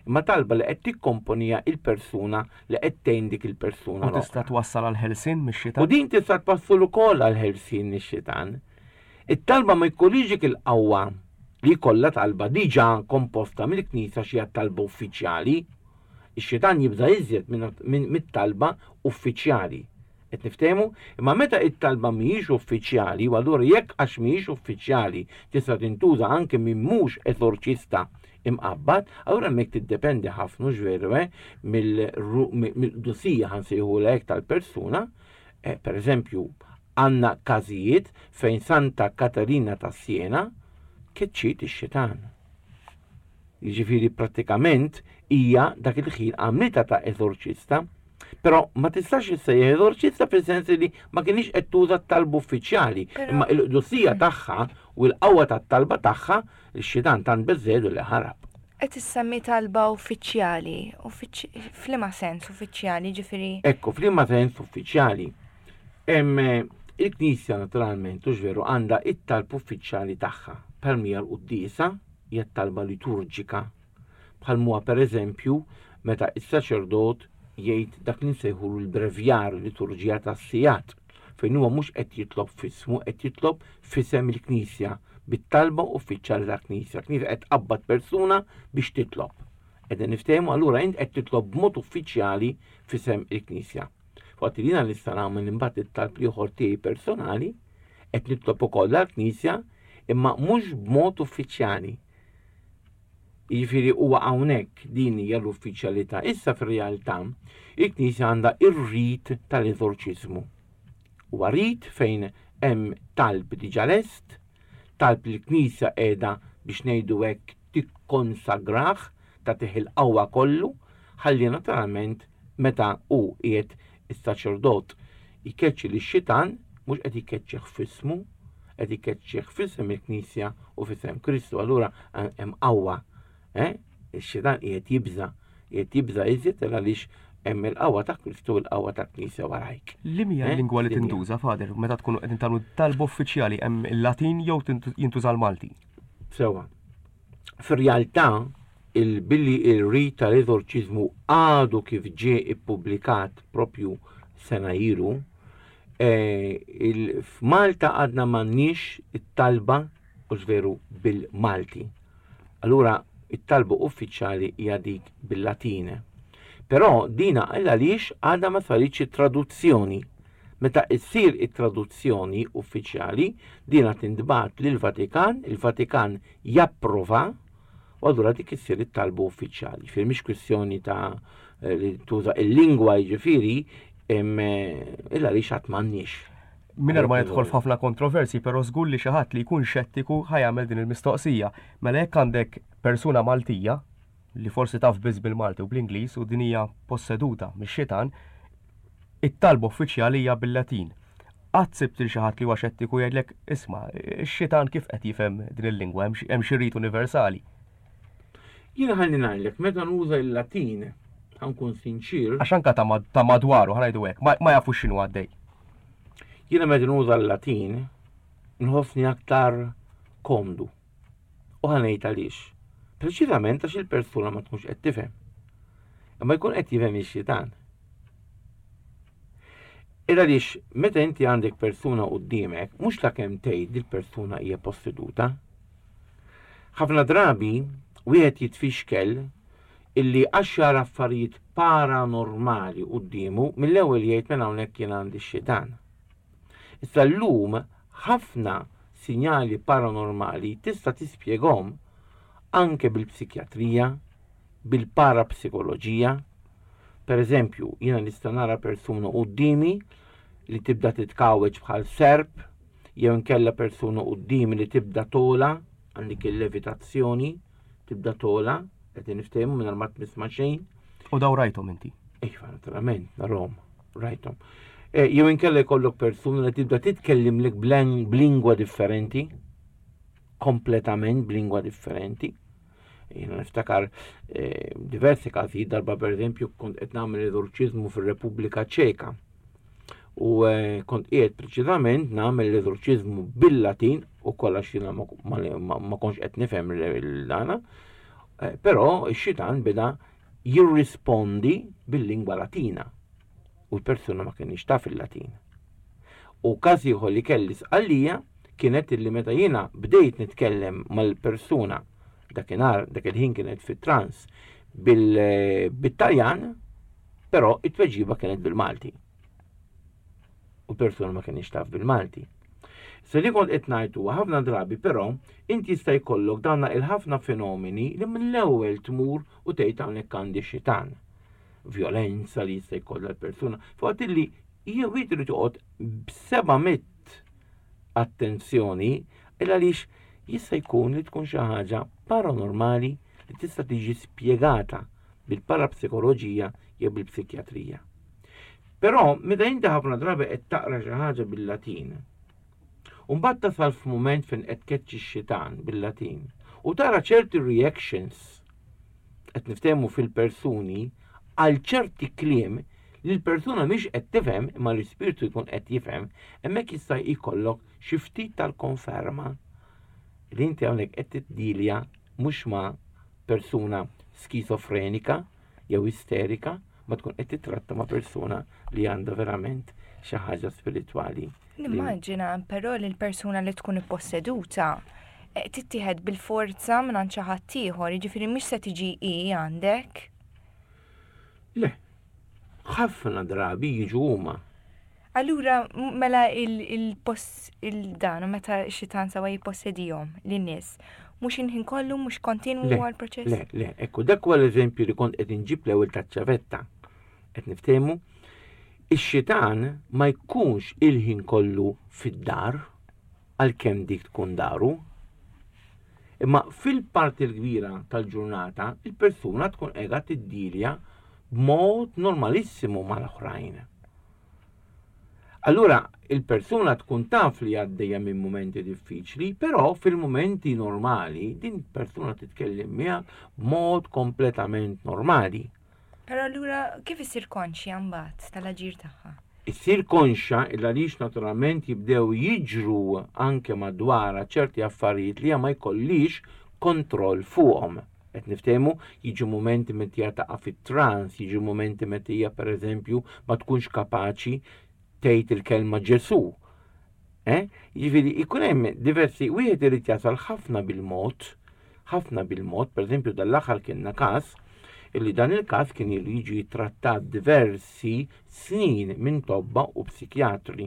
imma talba li qed tikkomponija il-persuna li qed tgħin dik il-persuna. U tista' twassal għal ħelsien mix-xitan. U din tista' twassal ukoll għal ħelsien mix-xitan. It-talba ma jkollhiex dik il-qawwa li jkollha talba diġà komposta mill-Knisja xi talba uffiċjali. Ix-xitan jibża' iżjed minn mit-talba uffiċjali. Qed niftehmu? Imma meta it-talba mhijiex uffiċjali, u allura jekk għax mhijiex uffiċjali tista' tintuża anke minn mhux eżorċista imqabbad, allura hemmhekk tiddependi ħafna hux veru eh, mill-qdusija ħa nsejħulha hekk tal-persuna. Eh, per eżempju, għandna każijiet fejn Santa Katarina ta' Siena keċċiet ix-xitan. Jiġifieri prattikament hija dak il-ħin għamlitha ta' eżorċista, però ma tistax issejjaħ eżorċista fis-sens li ma kinitx qed tuża t-talb uffiċjali, imma il-qdusija tagħha u l-qawwa tat-talba tagħha x-xitan tant beżżegħdu li ħarab. Qed issemmi talba uffiċjali, f'liema sens uffiċjali, ġifieri? Ekku, f'liema sens uffiċjali. Il-Knisja naturalment, hux veru, għandha it-talb uffiċjali tagħha, bħal mija l-quddiesa, hija t-talba liturġika, bħal m'huwa pereżempju meta s-saċerdot jgħid dak li nsejħulu l-brevjar, liturġija tas-sigħat, fejn huwa mhux qed jitlob f'ismu, qed jitlob f'isem il-Knisja, bit-talba uffiċjali tal-Knisja. Knisja qed tqabbad persuna biex titlob. Qegħdin niftehmu allura int qed titlob b'mod uffiċjali f'isem il-Knisja. Waqt li jiena nista' nagħmel imbagħad it-talb ieħor tiegħi personali, qed nitlob ukoll għall-Knisja imma mhux b'mod uffiċjali. Jiġifieri huwa hawnhekk din hija l-uffiċjalità. Issa fir-realtà il-Knisja għandha ir-rit tal-eżorċiżmu. Huwa rit fejn hemm talb diġà lest, talb li l-Knisja qiegħda biex ngħidu hekk tikkonsagrah, tagħtih il-qawwa kollu, ħalli naturalment meta hu qiegħed is-saċerdot jkeċċi lix-xitan, mhux qed jkeċċih f'ismu, qed ikeċċih f'isem il-Knisja u f'isem Kristu. Allura hemm qawwa, eh? Ix-xitan qiegħed jibża', qiegħed jibża' iżjed għaliex hemm il-qawwa ta' Kristu u l-qawwa tal-Knisja warajk. Li hija eh? l-lingwa li tintuża, Father, meta tkunu qegħdin tagħmlu talba uffiċjali hemm il-Latin jew jintuża l-Malti? Sewa. Fir-realtà, il-billi il-rit tal-eżorċiżmu għadu kif ġie ippubblikat propju sena ilu, eh, f'Malta għadna m'għandniex it-talba u veru bil-Malti. Allura it-talba uffiċjali hija dik bil-Latin. Però dina għaliex għadha ma saritx it-traduzzjoni. Meta issir it-traduzzjoni uffiċjali, dina tintbagħat lill-Vatikan, il-Vatikan japprova u allura dik issir it-talba uffiċjali. Ġifieri mhix kwistjoni ta' eh, li tuża il-lingwa jiġifieri eh, illa li xatt m'għandniex. Mingħajr ma nidħol f'ħafna kontroversi, però żgur li xi ħadd li jkun xettiku ħajamel din il-mistoqsija. Mela jekk għandek persuna Maltija li forsi taf biss bil-Malti u bl-Ingliż u din hija posseduta mix-xitan, it-talba uffiċjali hija bil-Latin. Qatt sibt lil xi ħadd li huwa xettiku jgħidlek isma' x-xitan kif qed jifhem din il-lingwa hemm xi rit universali. Jiena ħalli ngħidlek, meta nuża l-Latin, ħa nkun sinċier. Għax anka ta' madwaru, ħa ngħidu hekk, ma jafux x'inhu għaddej. Jiena meta nuża l-Latin, nħossni aktar komdu. U ħa ngħid għaliex. Preċiżament għax il-persuna ma tkunx qed tifhem. Imma jkun qed jifhem ix-xitan. Il għaliex meta inti għandek persuna quddiemek, mhux la kemm tgħid li l-persuna hija posseduta. Ħafna drabi wieħed jitfixkel illi għax jara affarijiet paranormali quddiemu mill-ewwel jgħid mela hawnhekk jien għandi x-xitan. Issa llum ħafna sinjali paranormali tista' tispjegahom anke bil-psikjatrija, bil-parapsikoloġija. Per eżempju, jiena nista' nara persuna quddiemi li tibda titkawweġ bħal serp, jew inkella persuna quddiemi li tibda tola, għandek il-levitazzjoni, tibda tola, qed niftehmu mingħajr ma tmiss ma' xejn. U daw rajthom inti? Iva, naturalment, narhom, rajthom. Eh, jew inkella jkollok persuna li tibda titkellimlek b'lingwa differenti, kompletament b'lingwa differenti. Jiena niftakar eh, diversi każijiet darba pereżempju kont qed nagħmel eżorċiżmu fir-Repubblika Ċeka. U eh, kont qiegħed preċiżament nagħmel l-eżorċiżmu bil-Latin u kollha xina ma kontx qed nifhem il-dana, eh, però x-xitan beda jirrispondi bil-lingwa Latina u l-persuna ma kienx taf il-Latin. U każ ieħor li kelli sqallija kienet illi meta jiena bdejt nitkellem mal-persuna dakinhar dak il-ħin kienet fit-trans bil-Taljan, però it-tweġiba kienet bil-Malti. U persuna ma kienx taf bil-Malti. Se li kont qed ngħid huwa ħafna drabi però inti jista' jkollok dawn il-ħafna fenomeni li mill-ewwel tmur u tgħid hawnhekk għandi xitan. Vjolenza li jista' jkollha l-persuna. Fuq illi jew irid toqgħod b'seba' mitt attenzjoni il għaliex jista' jkun li tkun xi ħaġa paranormali li tista' tiġi spjegata bil-parapsikoloġija jew bil-psikjatrija. Però meta inti ħafna drabi qed taqra xi ħaġa bil-Latin, u mbagħad tasal f'mument fejn qed tkeċċi x-xitan bil-Latin u tara ċerti reactions qed niftehmu fil-persuni għal ċerti kliem li l-persuna mhix qed tifhem imma l-ispirtu jkun qed jifhem, hemmhekk jista' jkollok xi ftit tal-konferma li inti hawnhekk qed tiddilja mhux ma' persuna skizofrenika jew isterika, ma tkun qed titratta ma' persuna li għandha verament xi ħaġa spiritwali. Nimmaġina però li l-persuna li tkun ipposseduta eh, tittieħed bil-forza minn xi ħadd ieħor, jiġifieri mhix se tiġi hi għandek. Le, ħafna drabi jiġu huma. Allura mela il-post il-dan meta xitan sawa jippossedihom lin-nies, mhux il-ħin kollu mhux kontinwu għall-proċess? Le, le, ekku dak huwa l-eżempju li kont qed inġib l-ewwel taċ-ċavetta. Qed niftehmu? Ix-xitan ma jkunx il-ħin kollu fid-dar għalkemm dik tkun daru. Imma fil-parti l-kbira tal-ġurnata il-persuna tkun qiegħda tiddilja b'mod normalissimu mal-oħrajn. Allura il-persuna tkun taf li għaddejja minn mumenti diffiċli, però fil-mumenti normali din persuna titkellem miegħek b'mod kompletament normali. Però allura kif issir konxja mbagħad tal-aġir tagħha? Issir konxja il għaliex naturalment jibdew jiġru anke madwarha ċerti affarijiet li hija ma jkollix kontroll fuqhom. Qed niftehmu, jiġu mumenti meta hija taqa' fit-trans, jiġu mumenti meta hija pereżempju ma tkunx kapaċi tgħid il-kelma Ġesù. Eh? Jiġifieri jkun hemm diversi wieħed irid jasal ħafna bil-mod, ħafna bil-mod, pereżempju dal-aħħar kienna każ illi dan il-każ kien ilu jiġi trattat diversi snin minn tobba u psikjatri.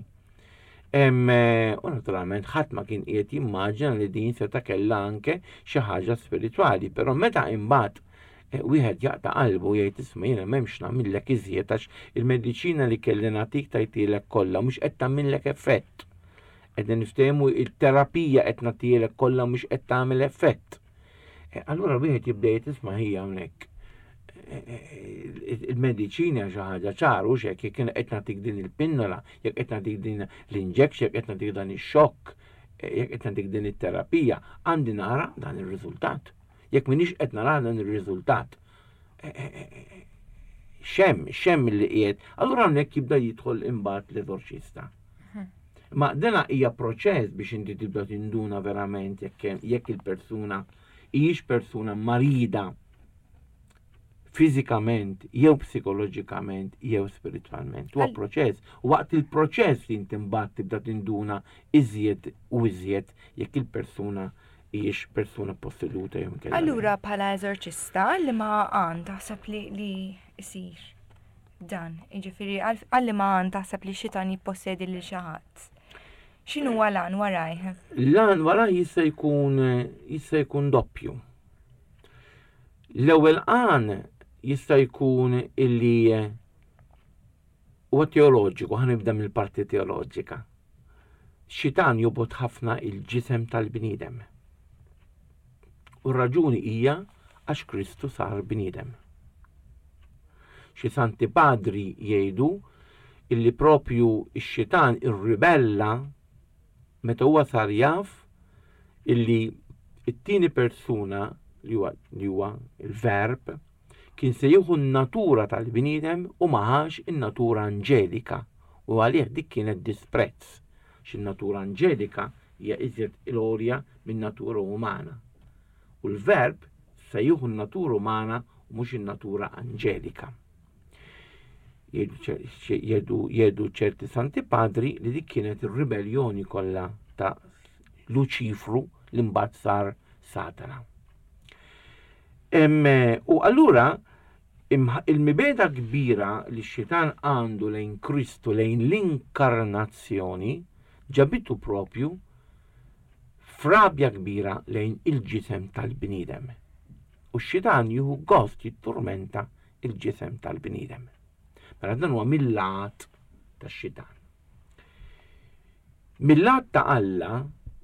Eh, u naturalment ħadd ma kien qiegħed jimmaġina li din seta' kellha anke xi ħaġa spiritwali, però meta imbagħad eh, wieħed jaqta' qalbu jgħid isma' jiena m'hemmx nagħmillek iżjed għax il-mediċina li kelli nagħtik tajtilek kollha mhux qed tagħmillek effett. Qed niftehmu il-terapija qed nagħtielek kollha mhux qed tagħmel effett. Eh, allura wieħed jibda jgħid isma' ħija hawnhekk. Eh, eh, il-mediċina xi ħaġa ċar u xek jekk qed nagħtik din il-pinnola, jekk qed nagħtik din l-injection, jekk qed nagħtik dan ix-xokk, jekk qed nagħtik din it-terapija, għandi nara dan ir-riżultat. Jekk m'iniex qed nara dan ir-riżultat. Eh, eh, eh, xem, xem li qiegħed, allura hawnhekk jibda jidħol imbagħad l-eżorċista. Mhm. Ma dena hija proċess biex inti tibda tinduna verament jekk il-persuna hijiex persuna marida fiżikament jew psikoloġikament jew spiritwalment. Huwa proċess. U waqt il-proċess li inti mbagħad tibda tinduna iżjed u iżjed jekk il-persuna hijiex persuna posseduta jew inkella. Allura bħala eżorċista li ma għan taħseb li li isir dan, jiġifieri għal li ma għan taħseb li xitan jippossedi lil xi ħadd. X'inhu l-għan warajh? L-għan warajh jista' jkun jista' jkun doppju. L-ewwel għan jista' jkun illi huwa teoloġiku, ħa nibda mill-parti teoloġika. Xitan jobgħod ħafna il-ġisem tal-bniedem. U r-raġuni hija għax Kristu sar bniedem. Xi santi padri jgħidu illi propju x-xitan irribella meta huwa sar jaf illi it-tieni persuna li huwa li huwa il-verb kien se jieħu n-natura tal-bniedem u ma ħax in-natura anġelika u għalih dik kienet disprezz x'in-natura anġelika hija iżjed il-għolja min-natura umana. U l-verb se jieħu n-natura umana u mhux in-natura anġelika. Jgħidu ċerti santi padri li dik kienet ir-ribellioni kollha ta' Luċifru li mbagħad sar Satana. U allura il-mibeda kbira li x-xitan għandu lejn Kristu lejn l-inkarnazzjoni ġabitu propju frabja kbira lejn il-ġisem tal-bniedem. U x-xitan jieħu gost jitturmenta il-ġisem tal-bniedem. Mela dan huwa mill-lat tax-xitan. Mill-lat ta' Alla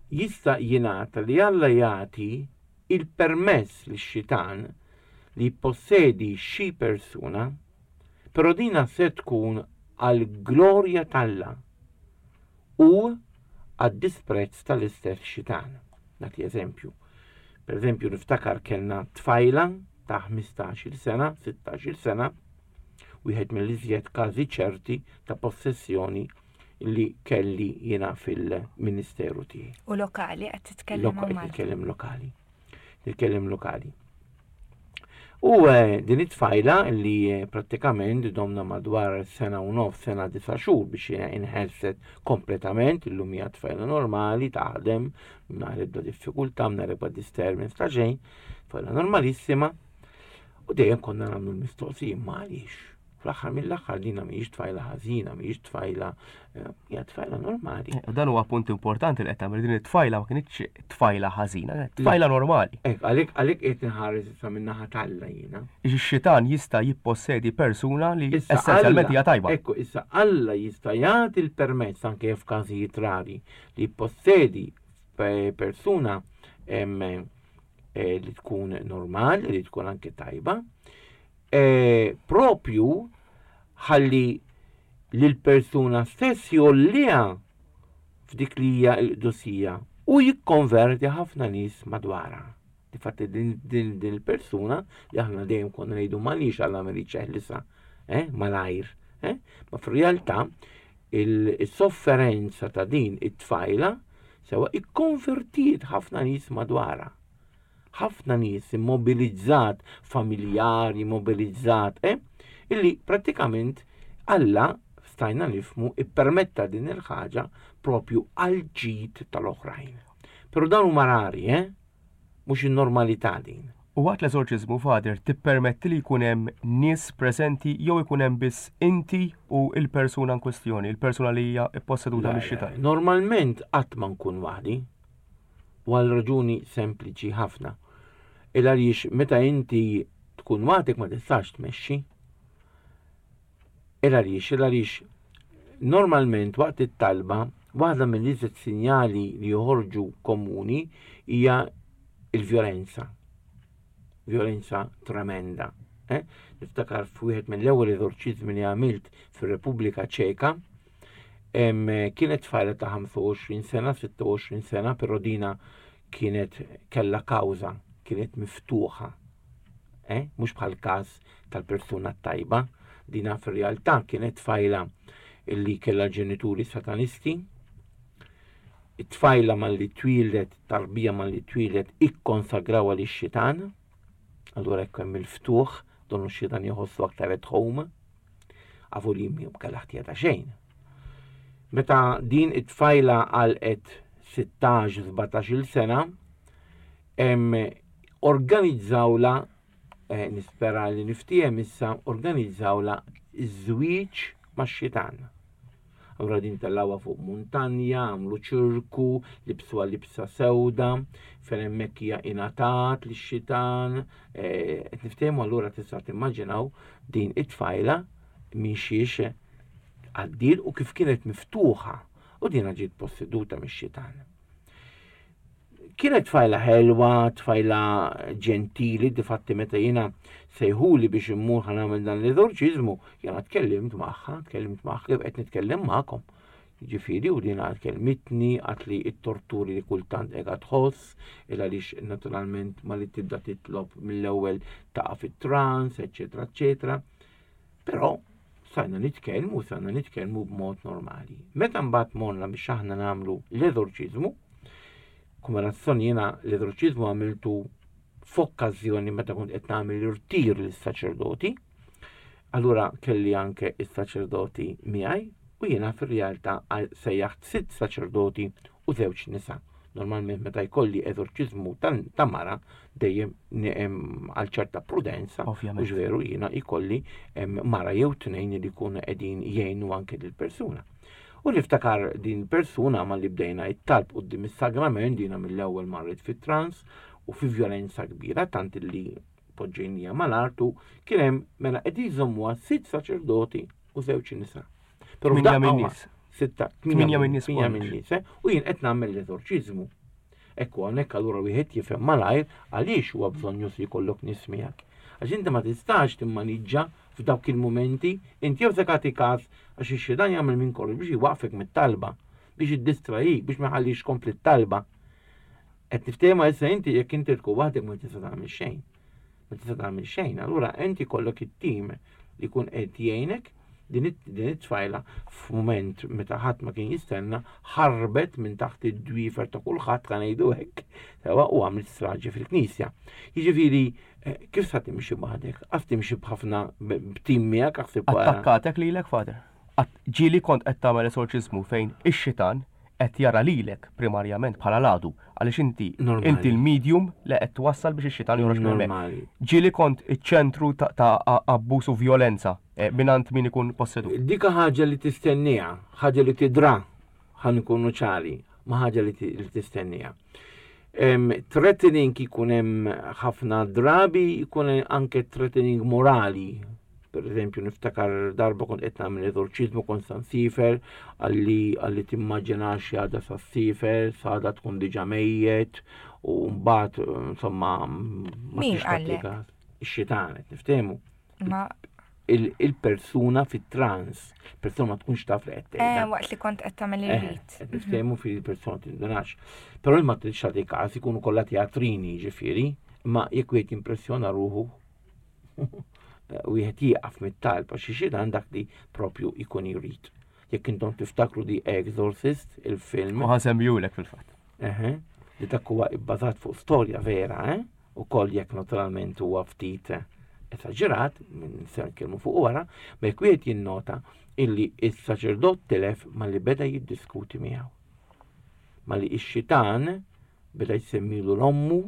jista' jingħata li Alla jagħti il-permess lix-xitan li jippossedi xi persuna, però dina se tkun għall-glorja t'Alla u għad-disprezz tal-istess xitan. Nagħti eżempju. Per eżempju, niftakar kellna tfajla ta' 15-il sena, 16-il sena, wieħed mill-iżjed każi ċerti ta' possessjoni li kelli jiena fil-ministeru tiegħi. U lokali qed titkellem Titkellem lokali. Titkellem lokali. U eh, din it-tfajla li eh, prattikament domna madwar sena u nof, sena disa xhur biex inħelset kompletament, illum hija tfajla normali, taħdem, mingħajr ebda diffikultà, mingħajr ebda disturbance ta' xejn, tfajla normalissima. U dejjem konna nagħmlu l-mistoqsija ma għaliex. Fl-aħħar mill-aħħar dina mhijiex tfajla ħażina, mhijiex tfajla eh, hija tfajla normali. Eh, dan huwa punt importanti li qed tagħmel din it-tfajla ma kinitx tfajla ħażina, tfajla normali. Ek, għalhekk għalhekk qed inħares issa min-naħa t'Alla jiena. Ix-xitan jista' jippossedi persuna li essenzjalment hija tajba. Ekku, issa Alla jista' jagħti l-permess anke f'każijiet rari li jippossedi persuna eh, li tkun normali, li tkun anke tajba, E, propju ħalli l-persuna stess jolliha f'dik li hija l-qdusija u jikkonverti ħafna nies madwarha. Difatti din, din, din il-persuna li aħna dejjem konna ngħidu m'għaliex Alla ma jridx jeħlisha, eh, malajr, eh? Ma fir-realtà il-sofferenza ta' din it-tfajla sewa ikkonvertiet ħafna nies madwarha. ħafna nies immobilizzat, familjari immobilizzat, eh? illi prattikament Alla stajna nifmu ippermetta din il-ħaġa propju għal ġid tal-oħrajn. Però dan huma rari, eh? Mhux in-normalità din. U waqt l-eżorċiżmu, Father, tippermetti li jkun hemm nies preżenti jew ikun hemm biss inti u l-persuna in kwestjoni, il-persuna li hija pposseduta mix-xitan? Normalment qatt ma nkun waħdi. U għal raġuni sempliċi ħafna. Il għaliex meta inti tkun waħdek ma tistax tmexxi. Il għaliex, il għaliex normalment waqt it-talba waħda mill-iżjed sinjali li joħorġu komuni hija il-vjolenza. Vjolenza tremenda. Eh? Niftakar f'wieħed mill-ewwel eżorċiżmi li għamilt fir-Repubblika Ċeka, Kienet tfajla ta' 25 sena, 26 sena, però dina kienet kella kawża. kienet miftuħa. Eh? Mhux bħal każ tal-persuna tajba, dina fir-realtà kienet tfajla illi kellha ġenituri satanisti. It-tfajla malli twieldet, tarbija malli twieldet ikkonsagrawha lix-xitan. Allura hekk hemm il-ftuħ, donnu x-xitan jħossu aktar at home. Avu li jimmi kellha ħtija ta' xejn. Meta din it-tfajla għalqet 16-17 sena, organizzawla, eh, nispera li niftiehem issa, organizzawla iż-żwieġ max-xitan. Allura din tellgħuha fuq muntanja, għamlu ċirku, libsuha libsa sewda, fejn hemmhekk hija ingħatat lix-xitan, eh, qed niftehmu allura tista' timmaġinaw din it-tfajla minn xiex għaddiet u kif kienet miftuħa u dina ġiet posseduta mix-xitan. Kienet tfajla ħelwa, tfajla ġentili, difatti meta jiena sejħuli biex immur ħa nagħmel dan l-eżorċiżmu, jiena tkellimt magħha, tkellimt magħha kif qed nitkellem magħkom. Ġifieri u dina kelmitni għat li t-torturi li kultant qiegħda tħoss, il għaliex naturalment ma li tibda titlob mill-ewwel taqa' fit-trans, eċetera, eċetera. Però sajna nitkellmu, sajna nitkellmu b'mod normali. Meta mbagħad morna biex aħna nagħmlu l-eżorċiżmu, kumerazzjoni jiena l-eżorċiżmu għamiltu f'okkażjoni meta kont qed nagħmel irtir lis-saċerdoti, allura kelli anke is-saċerdoti miegħi u jiena fir-realtà sejjaħt sitt saċerdoti u żewġ nisa. Normalment meta jkolli eżorċiżmu ta' mara dejjem għal ċerta prudenza, u veru jiena jkolli mara jew tnejn li jkunu qegħdin jgħinu anke lill-persuna. U niftakar din persuna ma li bdejna it-talb quddiem is-sagrament dina mill-ewwel marret fit-trans u fi vjolenza kbira tant li poġġejnija mal-artu kien hemm mela qed jżommuha sitt saċerdoti u żewġ nisa. Però Tminja minn nies. Sitta, tminja minn nies. Tminja minn nies, eh? U jien qed nagħmel l-eżorċiżmu. Ekku hawnhekk allura wieħed jifhem malajr għaliex huwa bżonn li jkollok nies miegħek. Għax inti ma tistax timmaniġġa f'dawk il-mumenti, inti jew se tagħti każ għax ix-xitan jagħmel minn kollox biex jwaqfek mit-talba, biex jiddistrajik, biex ma jħallix tkompli t-talba. Qed niftehma issa inti jekk inti tkun waħdek ma tista' tagħmel xejn. Ma tista' tagħmel xejn, allura inti jkollok it-tim li jkun qed jgħinek din it-tfajla f'mument meta ħadd ma kien jistenna ħarbet minn taħt id-dwiefer ta' kulħadd kan ngħidu hekk, sewa u għamlet straġi fil-knisja. Jiġifieri eh, kif sa timxi waħdek? Għaf timxi b'ħafna b'tim miegħek aħseb wara. Attakkatek lilek father. Ġieli kont qed tagħmel esorċiżmu fejn ix-xitan qed jara lilek primarjament bħala l-għadu għaliex inti inti l-medium li qed twassal biex ix-xitan joħroġ minn hemmhekk. Ġieli kont iċ-ċentru ta' abbuż u vjolenza eh, mingħand min ikun possedut. Dik ħaġa li tistenniha, ħaġa li tidra, ħa nkunu ċari, ma ħaġa li tistenniha. Threatening ikun hemm ħafna drabi, ikun anke threatening morali, Per eżempju, niftakar darba kont qed nagħmel eżorċiżmu kont sa nsifer, għalli għalli timmaġinax għada sa ssifer, sa tkun diġà mejjet, u mbagħad insomma ma tix Ix-xitan qed niftehmu. Ma il-persuna fit-trans, persuna ma tkunx taf li qed tgħidha. Eh, waqt li kont qed tagħmel eh, ir-rit. Qed niftehmu fil-persuna tindunax. Però ma tridx tagħti każ ikunu kollha teatrini ġifieri, imma jekk wieħed jimpressjona ruħu wieħed jieqaf mit-talb għax xi dan dak li propju jkun jrid. Jekk intom tiftakru di Exorcist, il-film. U ħasemmijulek fil-fatt. Eħe, li dak huwa ibbażat fuq storja vera, eh? U koll jekk naturalment huwa ftit esaġerat, minn se nitkellmu fuq wara, ma jekk wieħed jinnota illi is-saċerdot tilef malli beda jiddiskuti miegħu. Malli ix-xitan beda jsemmilu l-ommu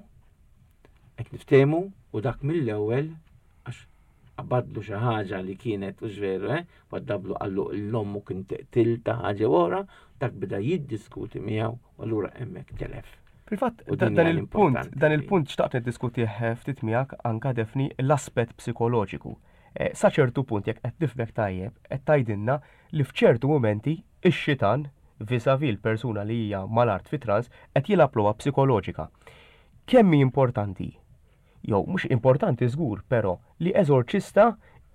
Qed niftehmu u dak mill-ewwel għax qabadlu xi ħaġa li kienet u veru, eh? Waddablu qallu l-ommu kien teqtilta ħaġa wara, dak beda jiddiskuti miegħu u allura hemmhekk telef. Fil-fatt, dan il-punt, dan il-punt xtaqt niddiskutih eh, ftit miegħek anka Defni l-aspett psikoloġiku. Eh, sa ċertu punt jekk qed nifhmek tajjeb, qed tgħidilna li f'ċertu mumenti ix-xitan vis-a-vis l-persuna li hija mal-art fi trans qed jilgħab logħba psikoloġika. Kemm hi importanti, jew mhux importanti żgur, però, li eżorċista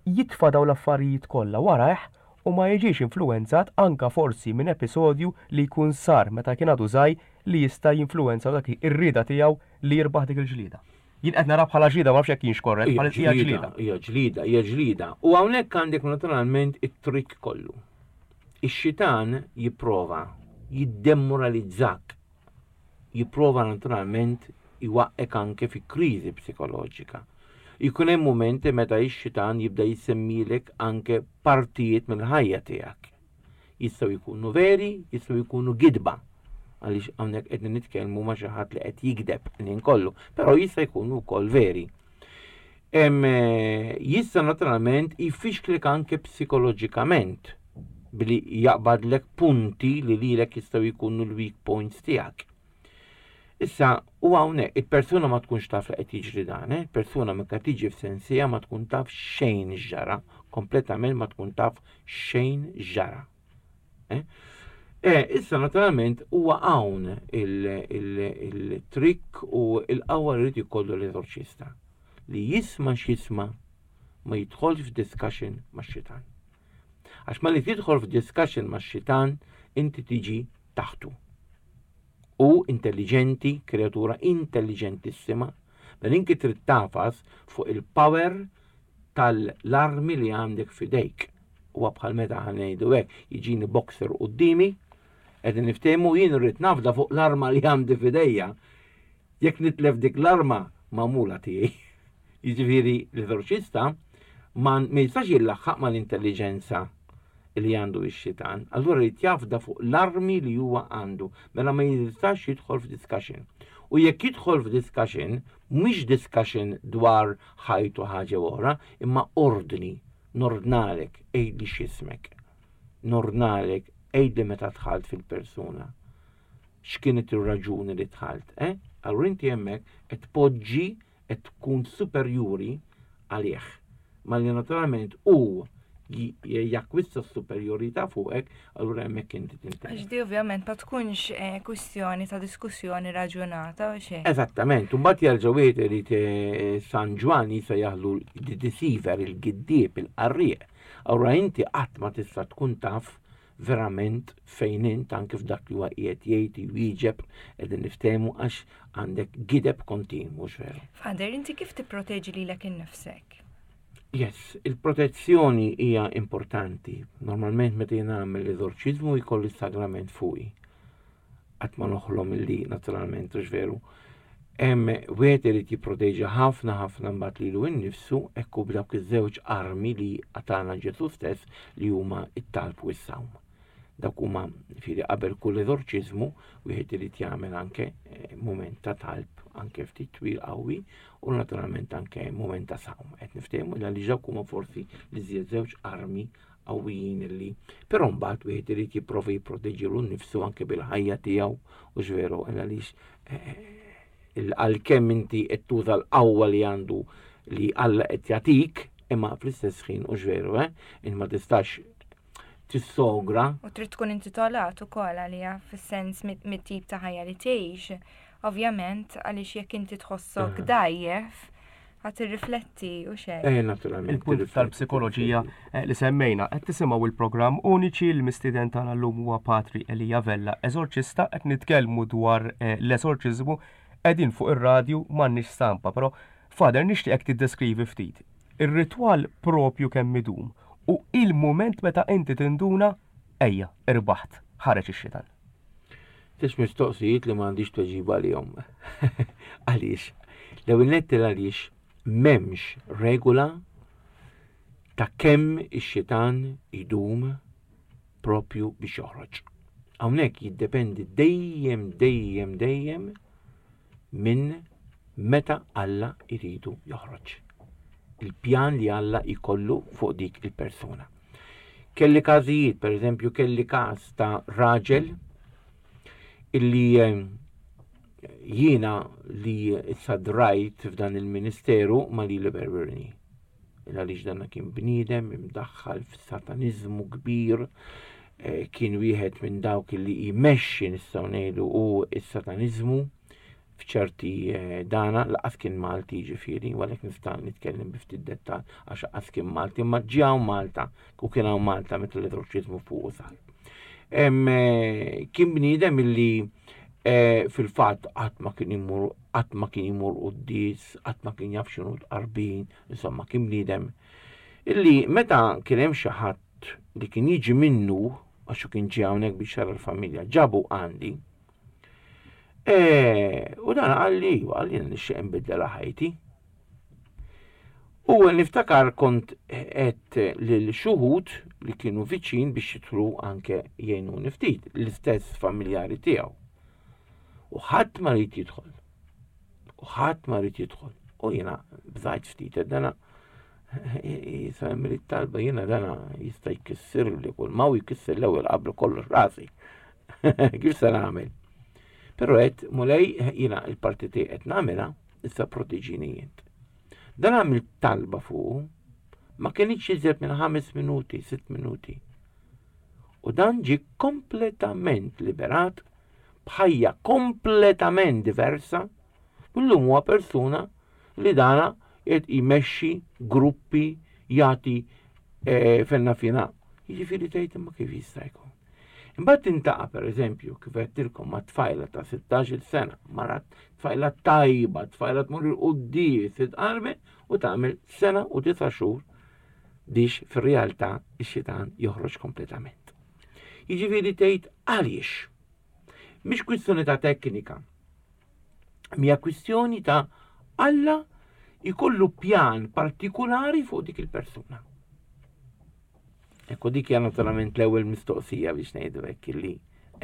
jitfa' dawn l-affarijiet kollha warajh u ma jiġix influwenzat anke forsi minn episodju li jkun sar meta kien għadu żgħir li jista' jinfluwenza dak ir-rieda tiegħu li jirbaħ dik il-ġlieda. Jien qed nara bħala ġlieda ma nafx jekk kienx korrett, bħala hija ġlieda. Hija ġlieda, hija ġlieda. U hawnhekk għandek naturalment it-trick kollu. Ix-xitan jipprova jiddemoralizzak. Jipprova naturalment iwaqqek anke fi kriżi psikoloġika. Jkun hemm mumenti meta x-xitan jibda jisemmilek anke partijiet mill-ħajja tiegħek. Jistgħu jkunu veri, jistgħu jkunu gidba għaliex hawnhekk qed nitkellmu ma' xi ħadd li qed jigdeb lin kollu, però jista' jkunu wkoll veri. Eh, jista' naturalment jfixklek anke psikoloġikament billi jaqbadlek punti li lilek jistgħu jkunu l-weak points tiegħek. Issa, u hawnhekk il-persuna ma tkunx taf li qed jiġri dan, eh? persuna meta tiġi f'sensija ma tkun taf xejn ġara, kompletament ma tkun taf xejn ġara. Eh? Eh, issa naturalment huwa hawn il-trikk u l-qawwa li jrid jkollu l-eżorċista li jisma' x'jisma' ma jidħolx f'discussion max-xitan. Għax ma li tidħol f'discussion max-xitan inti tiġi taħtu. Hu intelliġenti, kreatura intelliġentissima, mela inti trid tafas fuq il-power tal-armi li għandek f'idejk. Huwa bħal meta ħanejdu hekk, jiġini boxer quddiemi, qegħdin niftehmu jien irrid nafda fuq l-arma li għandi f'idejja. Jekk nitlef dik l-arma magħmula tiegħi. Jiġifieri l-eżorċista ma jistax jillaħħaq mal-intelliġenza li għandu x-xitan, allura jrid jafda fuq l-armi li huwa għandu, mela ma jistax jidħol f'discussion. U jekk jidħol f'discussion, mhix discussion dwar ħajtu ħaġa oħra, imma ordni, nordnalek, għidli x'ismek. Nordnalek, għidli meta dħalt fil-persuna. X'kienet ir-raġuni li dħalt, eh? Allura inti hemmhekk qed tpoġġi qed tkun superjuri għalih. Malli naturalment hu jakkwista s-superjorità fuqek, allura hemmhekk inti tintelef. Għax di ovvjament ma tkunx eh, kwistjoni ta' diskussjoni raġunata u xejn. Eżattament, u mbagħad jerġa' wieħed irid eh, San Ġwann jista' jaħlu d-deceiver, il-giddieb, il-qarrieq. Allura inti qatt ma tista' tkun taf verament fejn int anke f'dak li huwa qiegħed jgħid jwieġeb qegħdin niftehmu għax għandek gideb kontinwu mhux veru. Father, inti kif tipproteġi lilek innifsek? Yes, il-protezzjoni hija importanti. Normalment meta jien nagħmel l-eżorċiżmu jkolli sagrament fuqi. Qatt ma noħlom illi naturalment hux veru. Hemm wieħed irid jipproteġi ħafna ħafna mbagħad lilu nnifsu hekk hu b'dawk iż-żewġ armi li għatana Ġesù stess li huma t-talb u s-sawm. Dawk huma fieri qabel kull eżorċiżmu wieħed irid jagħmel anke eh, mument ta' talb anke ftit twil qawwi u naturalment anke mument ta' sawm. Qed niftehmu għaliex dawk huma forsi li żjed żewġ armi qawwijin illi però mbagħad wieħed irid jipprova jipproteġilu nnifsu anke bil-ħajja tiegħu u x'veru għaliex eh, eh, għalkemm inti qed tuża l-qawwa li għandu li Alla qed jagħtik, imma fl-istess ħin u x'veru, eh, in ma tistax tissogra. U trid tkun intitolat ukoll għaliha fis-sens mit-tip ta' ħajja li tgħix. Ovvjament għaliex jekk inti tħossok dgħajjef, Għad tirrifletti u xejn. Eh, naturalment. Il-punt tal-psikoloġija eh, li semmejna, qed tisimgħu il-programm Uniċi l-mistieden tagħna llum huwa Patri Elija Vella, eżorċista qed nitkellmu dwar eh, l-eżorċiżmu qegħdin fuq ir-radju m'għandniex stampa, però Father nixtieqek tiddeskrivi ftit ir-ritwal propju kemm idum u il-mument meta inti tinduna ejja, irbaħt, ħareġ ix-xitan. Tix mistoqsijiet li m'għandix tweġiba għalihom. Għaliex? L-ewwel nett għaliex m'hemmx regola ta' kemm ix-xitan idum propju biex joħroġ. Hawnhekk jiddependi dejjem dejjem dejjem minn meta Alla jridu joħroġ. Il-pjan li Alla jkollu fuq dik il-persuna. Kelli każijiet, per eżempju, kelli każ ta' raġel illi eh, jiena li issa drajt f'dan il-ministeru ma li li berberni. Għaliex dan kien bniedem imdaħħal f'sataniżmu kbir, eh, kien wieħed minn dawk li jmexxi nistgħu ngħidu u s-sataniżmu f'ċerti eh, dana laqas kien Malti ġifieri, u għalhekk nista' nitkellem bi ftit dettal għax laqas kien Malti, imma ġew Malta u kien hawn Malta meta l-eżorċiżmu fuq sar. Eh, kien bniedem illi E, fil-fatt qatt ma kien imur qatt ma kien imur quddies, qatt ma kien jaf x'inhu tqarbin, insomma kien bniedem illi meta kien hemm xi ħadd li kien jiġi minnu għax kien ġie hawnhekk biex jara l-familja, ġabu għandi. E, u dan qalli, qalli nixtieq nbiddel ħajti. U niftakar kont qed lil xuhud li kienu viċin biex jidħlu anke jgħinuni ftit, l-istess familjari tiegħu. U ħadd ma rid jidħol. U ħadd ma rid jidħol. U jiena bżajt ftit, dana jisa li talba jiena dana jista' jkisser li kull ma u jkisser l-ewwel qabel kollox rasi. Kif se nagħmel? Però qed mulej jiena il-parti tiegħi qed nagħmilha issa proteġini int. Dan għamil talba fuq, ma kienx iżjed minn 5 minuti, 6 minuti. U dan ġi kompletament liberat b'ħajja kompletament diversa, u llum huwa persuna li dana qed jmexxi gruppi jagħti eh, fenna fina. Jiġifieri tgħid imma kif jista' jkun. Imbagħad tintaqa' pereżempju kif għedtilkom ma' tfajla ta' 16-il sena, mara tfajla tajba, tfajla tmur il-quddies, titqarbe u tagħmel sena u disa' xhur biex fir-realtà ix-xitan joħroġ kompletament. Jiġifieri tgħid għaliex? Mhix kwistjoni ta' teknika. Mija kwistjoni ta' Alla jkollu pjan partikolari fuq dik il-persuna. Ekku dik hija naturalment l-ewwel mistoqsija biex ngħidu hekk illi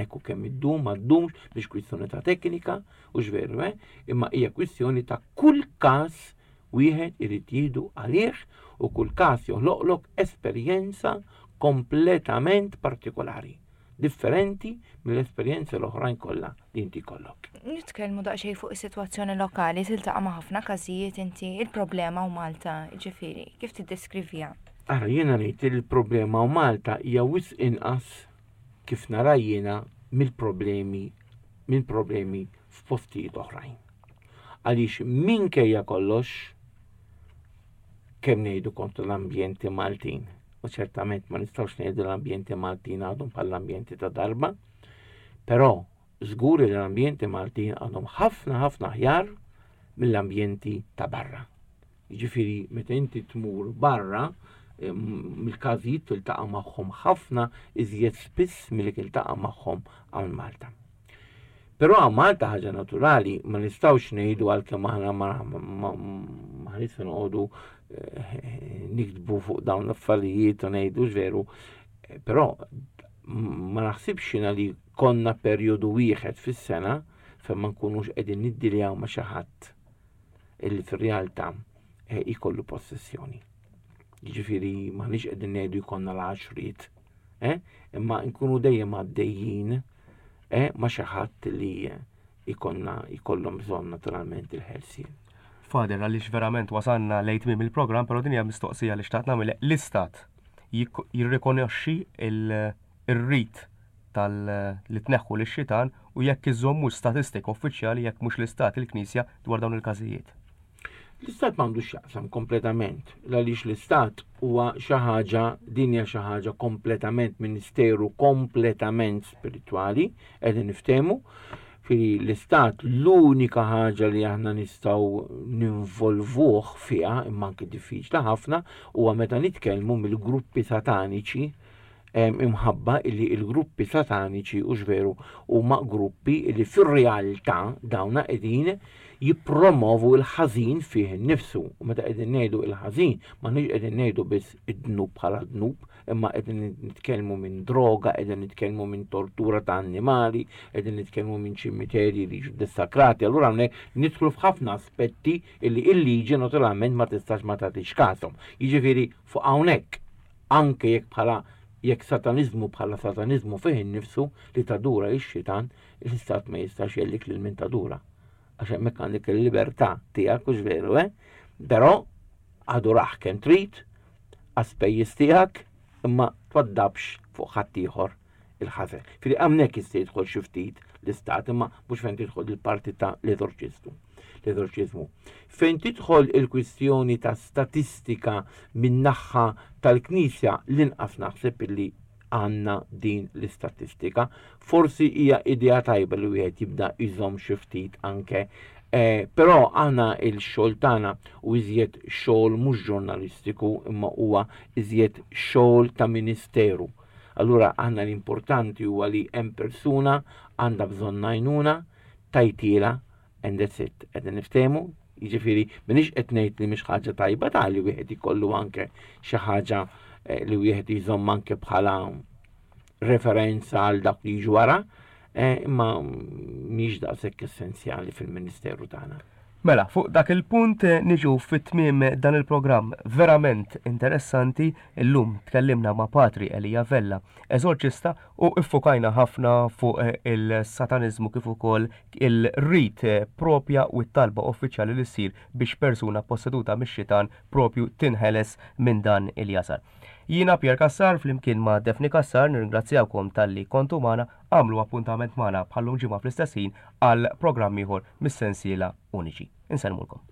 ekku kemm iddum ma ddumx biex kwistjoni ta' teknika u x'veru eh, imma hija kwistjoni ta' kull każ wieħed irid jieħdu għalih u kull każ joħloqlok esperjenza kompletament partikolari, differenti mill-esperjenzi l-oħrajn kollha li inti jkollok. Nitkellmu daqsxejn fuq is-sitwazzjoni lokali, tiltaqa' ma' ħafna każijiet inti il-problema u Malta, ġifieri, kif tiddeskriviha? Ara, jiena ngħid li l-problema u Malta hija wisq inqas kif nara jiena mill-problemi minn problemi f'postijiet oħrajn. Għaliex minkejja kollox kemm ngħidu kontra l-ambjenti Maltin, u ċertament ma nistgħux ngħidu l-ambjenti Maltin għadhom bħall-ambjenti ta' darba, però żgur li l-ambjenti Maltin għadhom ħafna ħafna aħjar mill-ambjenti ta' barra. Jiġifieri meta inti tmur barra, mill-każijiet tiltaqa' magħhom ħafna iżjed spiss milli tiltaqa' magħhom hawn Malta. Però hawn Malta ħaġa naturali ma nistgħux ngħidu għalkemm aħna ma ħanisna noqogħdu eh, niktbu fuq dawn l-affarijiet u ngħidu veru, eh, però ma naħsibx jiena li konna perjodu wieħed fis-sena fejn ma nkunux qegħdin niddiljaw ma' xi ħadd illi fir-realtà eh, jkollu possessjoni. Jiġifieri m'aħniex qegħdin ngħidu jkollna l-għaxriet, eh? imma nkunu dejjem għaddejjin eh, ma' xi ħadd li jkollna jkollhom bżonn naturalment il-ħelsien. Father, għaliex verament wasalna lejn tmiem il-programm, però din hija mistoqsija li xtaqt nagħmel. L-istat jirrikonoxxi il-rit tal li tneħħu lix-xitan u jekk iżommux statistika uffiċjali jekk mhux l-istat il-Knisja dwar dawn il-każijiet. L-istat m'għandux x'jaqsam kompletament, għaliex l-istat huwa xi ħaġa din hija xi ħaġa kompletament ministeru kompletament spiritwali, qegħdin niftehmu. Firi l-istat l-unika ħaġa li aħna nistgħu ninvolvuh fiha, imma anke diffiċli ħafna, huwa meta nitkellmu mill-gruppi sataniċi imħabba illi il-gruppi sataniċi u veru huma gruppi illi fir-realtà dawna qegħdin jippromovu l-ħażin fih innifsu. U meta qegħdin ngħidu l-ħażin, m'aħniex qegħdin ngħidu biss id-dnub bħala dnub, imma qegħdin nitkellmu minn droga, qegħdin nitkellmu minn tortura ta' annimali, qegħdin nitkellmu minn ċimiterji li jiġu dissakrati. Allura hawnhekk nidħlu f'ħafna aspetti illi il-liġi naturalment ma tistax ma tagħtix kasom. Jiġifieri fuq hawnhekk Anke jekk bħala jekk sataniżmu bħala sataniżmu fih innifsu li tadura ix-xitan, l-istat ma jistax jellik lil min tadura. Għax hemmhekk għandek il-libertà tiegħek hux veru, eh? Però adurah kemm trid, għas-spejjeż tiegħek, imma twaddabx fuq ħaddieħor il-ħażen. Fili hawnhekk jista' jidħol xi ftit l-istat imma mhux fejn tidħol il-parti ta' l-eżorċistu. L-eżorċiżmu. Fejn tidħol il-kwistjoni ta' statistika min-naħa tal-Knisja l-inqas naħseb illi għandna din l-istatistika. Forsi hija idea tajba li wieħed jibda jżomm xi ftit anke eh, però aħna il-xogħol tagħna u iżjed xogħol mhux ġurnalistiku imma huwa iżjed xogħol ta' ministeru. Allura aħna l-importanti huwa li hemm persuna għandha bżonn għajnuna tajtiela and that's it. Qegħdin niftehmu? Jiġifieri m'iniex qed ngħid li mhix ħaġa tajba ta' li wieħed ikollu anke xi ħaġa eh, li wieħed jżomm anke bħala referenza għal dak li jiġu wara, eh, imma mhix daqshekk essenzjali fil-ministeru tagħna. Mela, fuq dak il-punt eh, niġu fit-tmiem dan il-programm verament interessanti. Illum tkellimna ma' Patri Elija Vella, eżorċista, u iffukajna ħafna fuq eh, il-sataniżmu kif ukoll il-rit eh, propja u t-talba uffiċjali li ssir biex persuna posseduta mix-xitan propju tinħeles minn dan il-jasar. Jiena Pierre Cassar flimkien ma' Daphne Cassar nirringrazzjawkom talli kontu magħna, agħmlu appuntament magħna bħal-lum ġimgħa fl-istess ħin għal programm ieħor mis-sensiela Uniċi. Insellmulkom.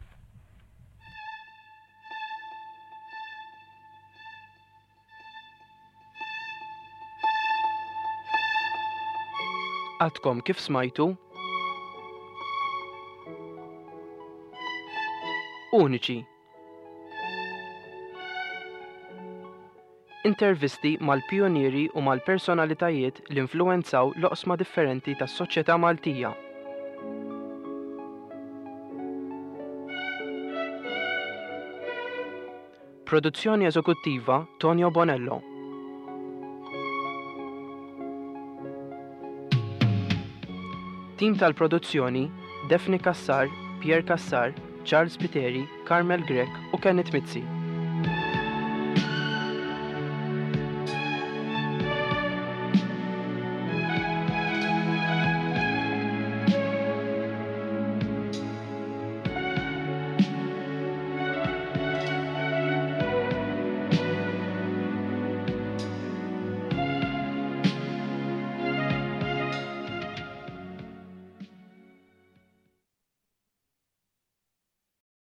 Għadkom kif smajtu Uniċi Intervisti mal-pijunieri u mal-personalitajiet li influwenzaw l-oqsma differenti tas-soċjetà Maltija. Produzzjoni eżekuttiva Tonio Bonello. Tim tal-produzzjoni Daphne Cassar, Pierre Cassar, Charles Spiteri, Carmel Grech u Kenneth Mizzi.